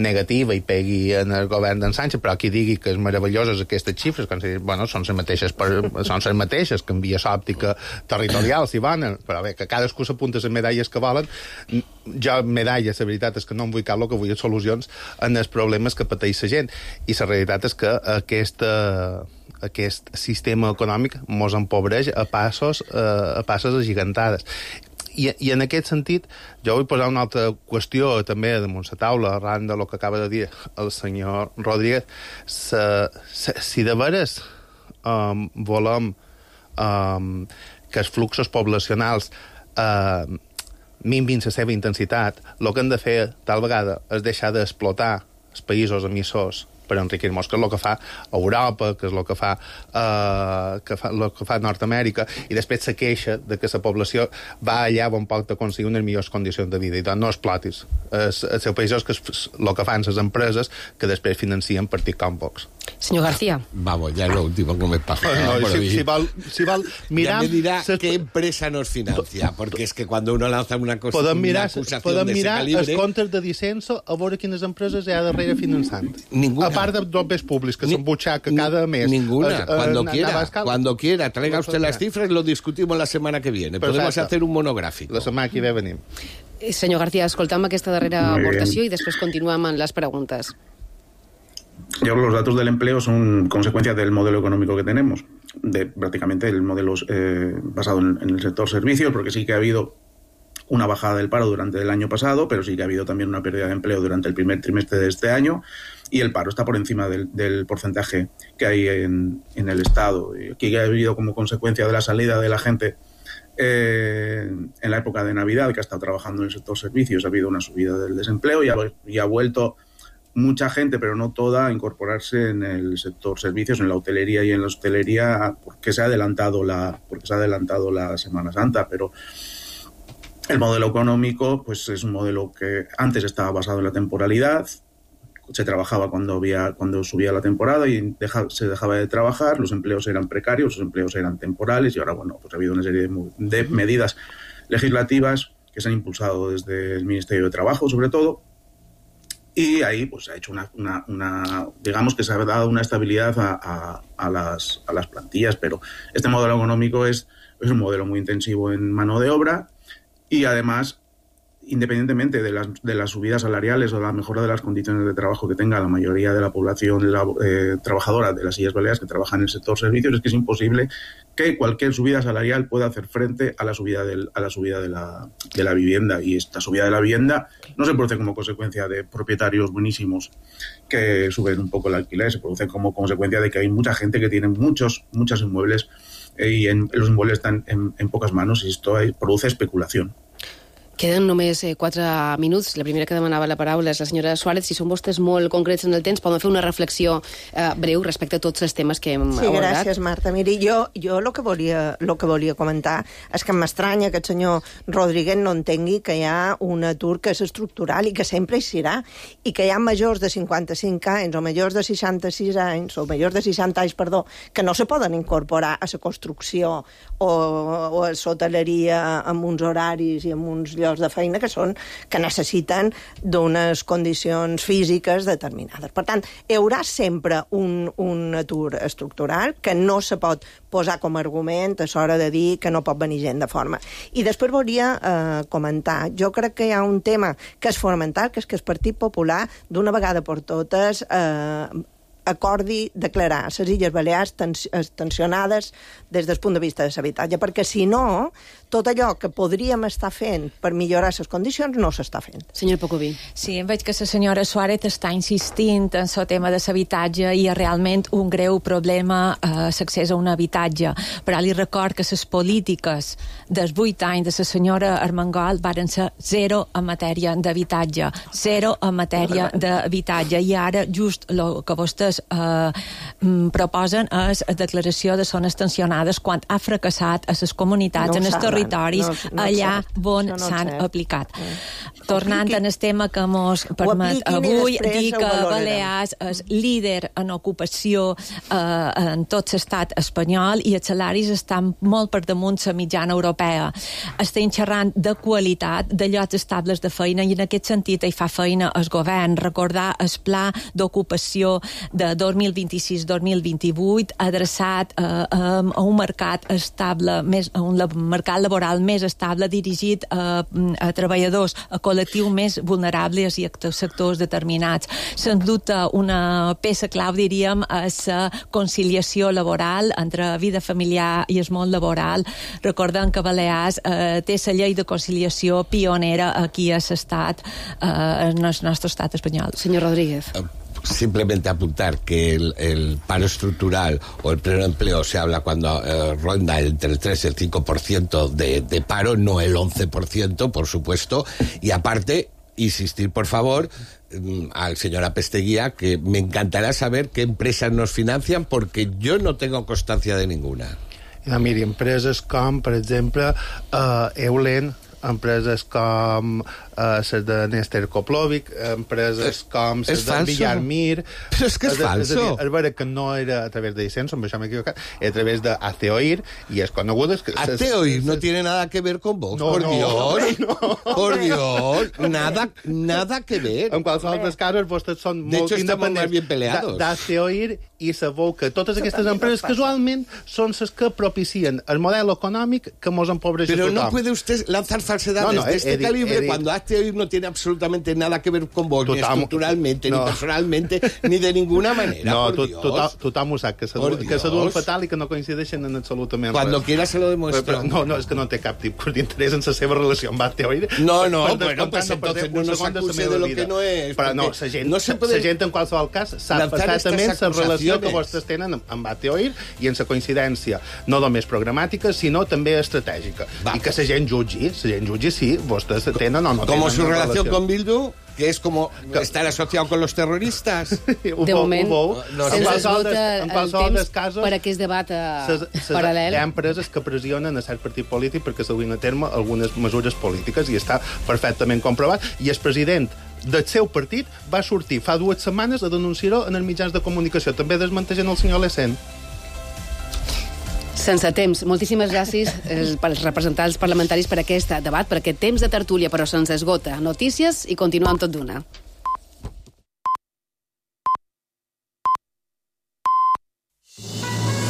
negativa i pegui en el govern d'en Sánchez, però qui digui que és meravelloses aquestes xifres, quan bueno, són les mateixes, canvia l'òptica territorial, si volen, però bé, que cadascú s'apunta les medalles que volen. Jo, medalles, la veritat és que no em vull cap, el que vull és solucions en els problemes que pateix la gent. I la realitat és que aquest sistema econòmic mos empobreix a passes agigantades. I en aquest sentit, jo vull posar una altra qüestió també damunt la taula, arran del que acaba de dir el senyor Rodríguez. Si de veres volem que els fluxos poblacionals minvin la seva intensitat, el que hem de fer tal vegada és deixar d'explotar els països emissors per enriquir-nos, que és el que fa Europa, que és el que fa Nord-Amèrica, i després se queixa de que la població va allà on pot aconseguir unes millors condicions de vida. I doncs no explotis els seus països, que és el que fan les empreses que després financien partits com Vox. Señor García. Vamos, ya es lo último que me pasa. Si val mirar... Ya me dirá qué empresa nos financia, porque es que cuando uno lanza una cosa, podem mirar calibre... els comptes de Dicenso a veure quines empreses hi ha darrere finançant. Ninguna. A part de dobles públics, que s'embutxaca cada mes. Ninguna. Cuando quiera, traiga usted las cifras, lo discutimos la semana que viene. Podemos hacer un monográfico. La setmana que ve venim. Senyor García, escoltam aquesta darrera aportació i després continuem amb les preguntes. Yo creo que los datos del empleo son consecuencia del modelo económico que tenemos, de prácticamente el modelo basado en el sector servicios, porque sí que ha habido una bajada del paro durante el año pasado, pero sí que ha habido también una pérdida de empleo durante el primer trimestre de este año, y el paro está por encima del porcentaje que hay en el Estado. Y aquí ha habido como consecuencia de la salida de la gente en la época de Navidad, que ha estado trabajando en el sector servicios, ha habido una subida del desempleo y ha vuelto mucha gente, pero no toda, a incorporarse en el sector servicios, en la hotelería y en la hostelería, porque se ha adelantado la Semana Santa, pero el modelo económico pues es un modelo que antes estaba basado en la temporalidad, se trabajaba cuando subía la temporada y se dejaba de trabajar, los empleos eran precarios, los empleos eran temporales, y ahora pues ha habido una serie de medidas legislativas que se han impulsado desde el Ministerio de Trabajo, sobre todo, y ahí pues ha hecho digamos que se ha dado una estabilidad a las plantillas, pero este modelo económico es un modelo muy intensivo en mano de obra, y además, independientemente de las subidas salariales o la mejora de las condiciones de trabajo que tenga la mayoría de la población trabajadora de las Illes Baleares que trabaja en el sector servicios, es que es imposible que cualquier subida salarial pueda hacer frente a la subida de la vivienda. Y esta subida de la vivienda no se produce como consecuencia de propietarios buenísimos que suben un poco el alquiler, se produce como consecuencia de que hay mucha gente que tiene muchos inmuebles y los inmuebles están en pocas manos, y esto produce especulación. Queden només 4 minuts. La primera que demanava la paraula és la senyora Suárez. Si són vostès molt concrets en el temps, poden fer una reflexió breu respecte a tots els temes que hem abordat. Sí, gràcies, Marta. Miri, jo el que volia comentar és que m'estranya que el senyor Rodríguez no entengui que hi ha un atur que és estructural i que sempre hi serà, i que hi ha majors de 55 anys o majors de 66 anys, o majors de 60 anys, perdó, que no se poden incorporar a la construcció o a l'hoteleria amb uns horaris i amb uns llocs de feina que necessiten d'unes condicions físiques determinades. Per tant, hi haurà sempre un atur estructural que no se pot posar com a argument a l'hora de dir que no pot venir gent de forma. I després volia comentar, jo crec que hi ha un tema que és fonamental, que és que el Partit Popular, d'una vegada per totes, acordi declarar les Illes Balears tensionades des del punt de vista de l'habitatge, perquè si no, tot allò que podríem estar fent per millorar les condicions no s'està fent. Senyor Pocoví. Sí, em veig que la senyora Suárez està insistint en el tema de l'habitatge i és realment un greu problema l'accés a un habitatge, però li record que les polítiques dels 8 anys de la senyora Armengol varen ser zero en matèria d'habitatge, i ara just el que vostès proposen és la declaració de zones tensionades quan ha fracassat a les comunitats, en els territoris allà on s'han aplicat. Tornant en el tema que mos permet avui, dir que Balears és líder en ocupació en tot l'estat espanyol i els salaris estan molt per damunt la mitjana europea. Estem xerrant de qualitat, de llocs estables de feina, i en aquest sentit hi fa feina el govern. Recordar el pla d'ocupació de 2026-2028 adreçat a un mercat estable, a un mercat laboral més estable, dirigit a treballadors, a col·lectius més vulnerables i a sectors determinats. Sens dubte, una peça clau, diríem, és la conciliació laboral entre vida familiar i el món laboral. Recordem que Balears té la llei de conciliació pionera aquí a l'estat, en el nostre estat espanyol. Senyor Rodríguez. Simplemente apuntar que el paro estructural o el pleno empleo se habla cuando ronda entre el 3 y el 5% de paro, no el 11%, por supuesto. Y aparte, insistir, por favor, al señor Apesteguía, que me encantará saber qué empresas nos financian, porque yo no tengo constancia de ninguna. Miri, empreses com, per exemple, Eulen, empreses com les de Néstor Koplovic, empreses com les de Villarmir... Però és que és falso. És vera que no era a través de Dicenso, amb això m'he equivocat, era a través de Aceoir, i és conegut... Aceoir no tiene nada que ver con Vox, por Dios. Por Dios, nada que ver. En qualsevol dels casos, vostès són molt independents d'Aceoir i sabeu que totes aquestes empreses casualment són les que propicien el model econòmic que mos empobreix a tothom. Pero no puede usted lanzar falsedades de este calibre cuando Aceoir no tiene absolutamente nada que ver con Vox, ni estructuralmente, ni personalmente, ni de ninguna manera, por Dios. Tothom ho sap, que s'aduen fatal i que no coincideixen en absolutament res. Cuando quiera se lo demuestro. No, és que no té cap tipus d'interès en la seva relació amb Aceoir. No, bueno, pues entonces no nos acuse de lo que no es. Però no, la gent en qualsevol cas sap perfectament la relació que vostès tenen amb Aceoir i en la coincidència no només programàtica, sinó també estratègica. I que la gent jutgi si vostès tenen o no tenen. Como su relación con Bildu, que es como estar asociado con los terroristas. De moment, se'ns esgota el temps per aquest debat paral·lel. Hi ha empreses que pressionen a cert partit polític perquè s'duguin a terme algunes mesures polítiques i està perfectament comprovat. I el president del seu partit va sortir fa 2 setmanes a denunciar-ho en els mitjans de comunicació, també desmentejant el senyor Lecent. Sense temps. Moltíssimes gràcies pels representants parlamentaris per aquest debat, per aquest temps de tertúlia, però se'ns esgota. Notícies i continuem tot d'una.